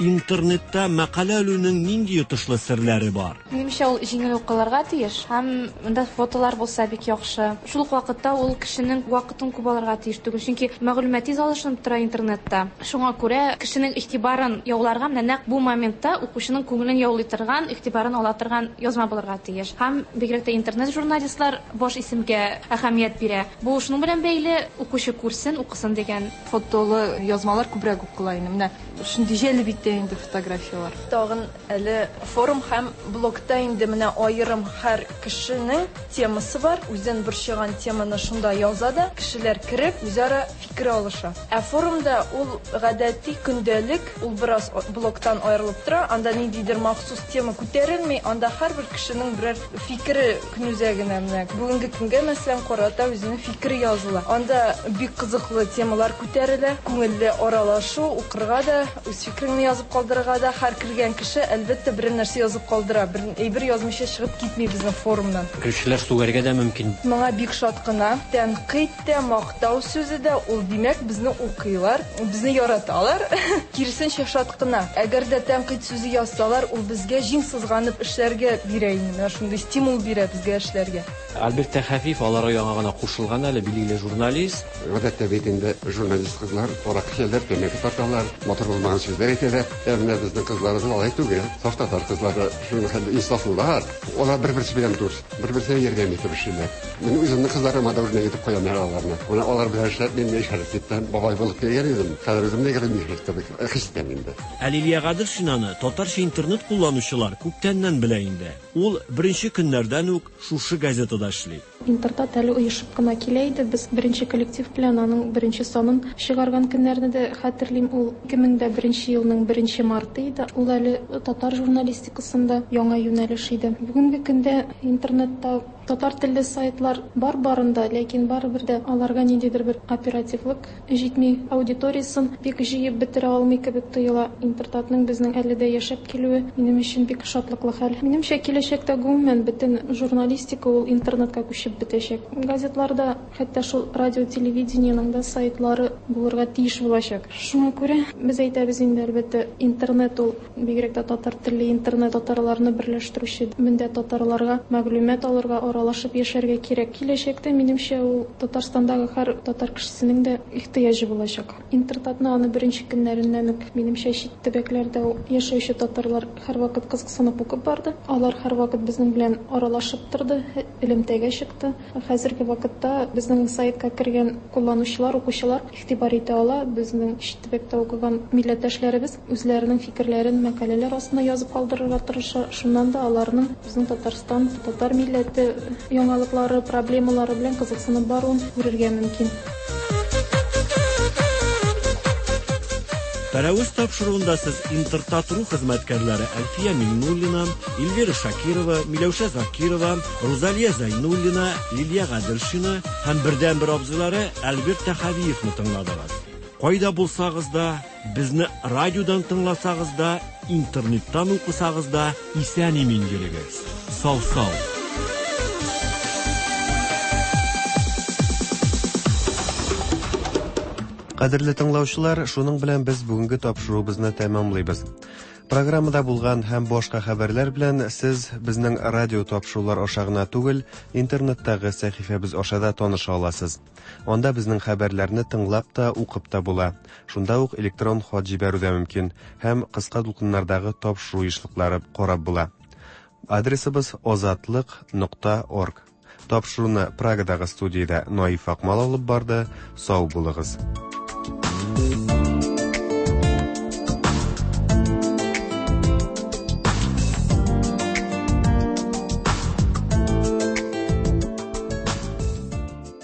Интернетта мәкалә элүнең нинди йотышлы серләре бар? Минемчә, ул җиңел укылырга тиеш һәм монда фотолар булса бик яхшы. Шул ук вакытта ул кешенең вакытын күп алырга тиеш түгел, чөнки мәгълүмат тиз алышынып тора интернетта. Шуңа күрә кешенең игътибарын яуларга менә нәкъ бу моментта укучының күңелен яулый торган, игътибарын ала торган язма булырга тиеш. Һәм бигрәк тә интернет журналистлар баш исемгә әһәмият бирә. Бу шуның белән бәйле, укучы күрсен, укысын дигән. Фотолы язмалар күбрәк укыла инде. Менә шундый җәлеп итә инде фотографиялар. Тагын әле форум һәм блогта инде менә аерым һәр кешенең темасы бар. Үзен борчыган теманы шунда яза да, кешеләр кереп үзара фикер алыша. Ә форумда ул гадәти көндәлек, ул бераз блогтан аерылып тора. Анда ниндидер махсус тема күтәрелми, анда һәрбер кешенең берәр фикере көнүзәгенә менә бүгенге көнгә мәсәлән карата үзенең фикере языла. Анда бик кызыклы темалар күтәрелә, күңелле аралашу, укырга да, үз фикереңне язып калдырырга да, һәр кергән кеше әлбәттә бер нәрсә язып калдыра, бер әйбер язмыйча чыгып китми безнең форумнан. Кешеләр сүгәргә дә мөмкин. Моңа бик шат кына. Тәнкыйть тә, мактау сүзе дә, ул димәк безне укыйлар, безне яраталар. Киресенчә шат кына. Әгәр дә тәнкыйть сүзе язсалар, ул безгә җиң сызганып эшләргә бирә инде. Менә шундый стимул бирә безгә эшләргә. Альберт Тәхәфиев аларга яңа гына кушылган әле, билгеле журналист. Гадәттә бит инде журналист кызлар аракы эчәләр, тәмәке тарталар, матур булмаган сүзләр әйтәләр. Ә менә безнең кызларыбыз алай түгел. Саф татар кызлары шуның хәтле инсафлылар. Алар бер-берсе белән дус, бер-берсенә ярдәм итеп эшлиләр. Мин үземнең кызларыма да үрнәк итеп куям аларны. Менә алар белән эшләп мин яшәреп киттем, бабай булып килгән идем. Хәзер үзем дә егерме яшь кебек хис итәм инде. Ә Лилия Гаделшинаны татарча интернет кулланучылар күптәннән белә инде. Ул беренче көннәрдән үк шушы газетада эшли. Интертат әле оешып кына килә иде. Без беренче коллектив белән аның беренче санын чыгарган көннәрне дә хәтерлим. Ул ике мең дә беренче елның беренче марты иде. Ул әле татар журналистикасында яңа юнәлеш иде. Бүгенге көндә интернетта татар телле сайтлар бар барында, ләкин барыбер дә аларга ниндидер бер оперативлык җитми, аудиториясын бик җыеп бетерә алмый кебек тоела. Интертатның безнең әле дә яшәп килүе минем өчен бик шатлыклы хәл. Минемчә, киләчәктә гомумән бөтен журналистика ул интернетка күчеп бетәчәк. Газетларда, хәтта шул радио, телевидениенең дә сайтлары булырга тиеш булачак. Шуңа күрә без әйтәбез инде, әлбәттә, интернет ул бигрәк тә татар телле интернет татарларны берләштерүче, монда татарларга мәгълүмат алырга, аралашып яшәргә кирәк. Киләчәктә, минемчә, ул Татарстандагы һәр татар кешесенең дә ихтыяҗы булачак. Интертатны аны беренче көннәреннән үк, минемчә, чит төбәкләрдә яшәүче татарлар һәрвакыт кызыксынып укып барды. Алар һәрвакыт безнең белән аралашып торды, элемтәгә чыкты. Хәзерге вакытта безнең сайтка кергән кулланучылар, укучылар игътибар итә ала. Безнең чит төбәктә укыган милләттәшләребез үзләренең фикерләрен мәкаләләр астына язып калдырырга тырыша. Шуннан да аларның безнең Татарстан, татар милләте яңалыклары, проблемалары белән кызыксынып баруын күрергә мөмкин. Пәрәвез тапшыруында сез Интертат.ру хезмәткәрләре Әлфия Миңнуллина, Эльвира Шакирова, Миләүшә Закирова, Рузалия Зәйнуллина, Лилия Гаделшина һәм бердәнбер абзыйлары Альберт Тәхәвиевны тыңладыгыз. Кайда булсагыз да, безне радиодан тыңласагыз да, интернеттан укысагыз да, исән-имин йөрегез. Сау-сау. Кадерле тыңлаучылар, шуның белән без бүгенге тапшыруыбызны тәмамлыйбыз. Программада булган һәм башка хәбәрләр белән сез безнең радио тапшырулар аша гына түгел, интернеттагы сәхифәбез аша да таныша аласыз. Анда безнең хәбәрләрне тыңлап та, укып та була. Шунда ук электрон хат җибәрү дә мөмкин һәм кыска дулкыннардагы тапшыру ешлыклары карап була. Адресыбыз озатлык нокта орг. Тапшыруны Прагадагы студиядә Наиф Акмал алып барды. Сау булыгыз.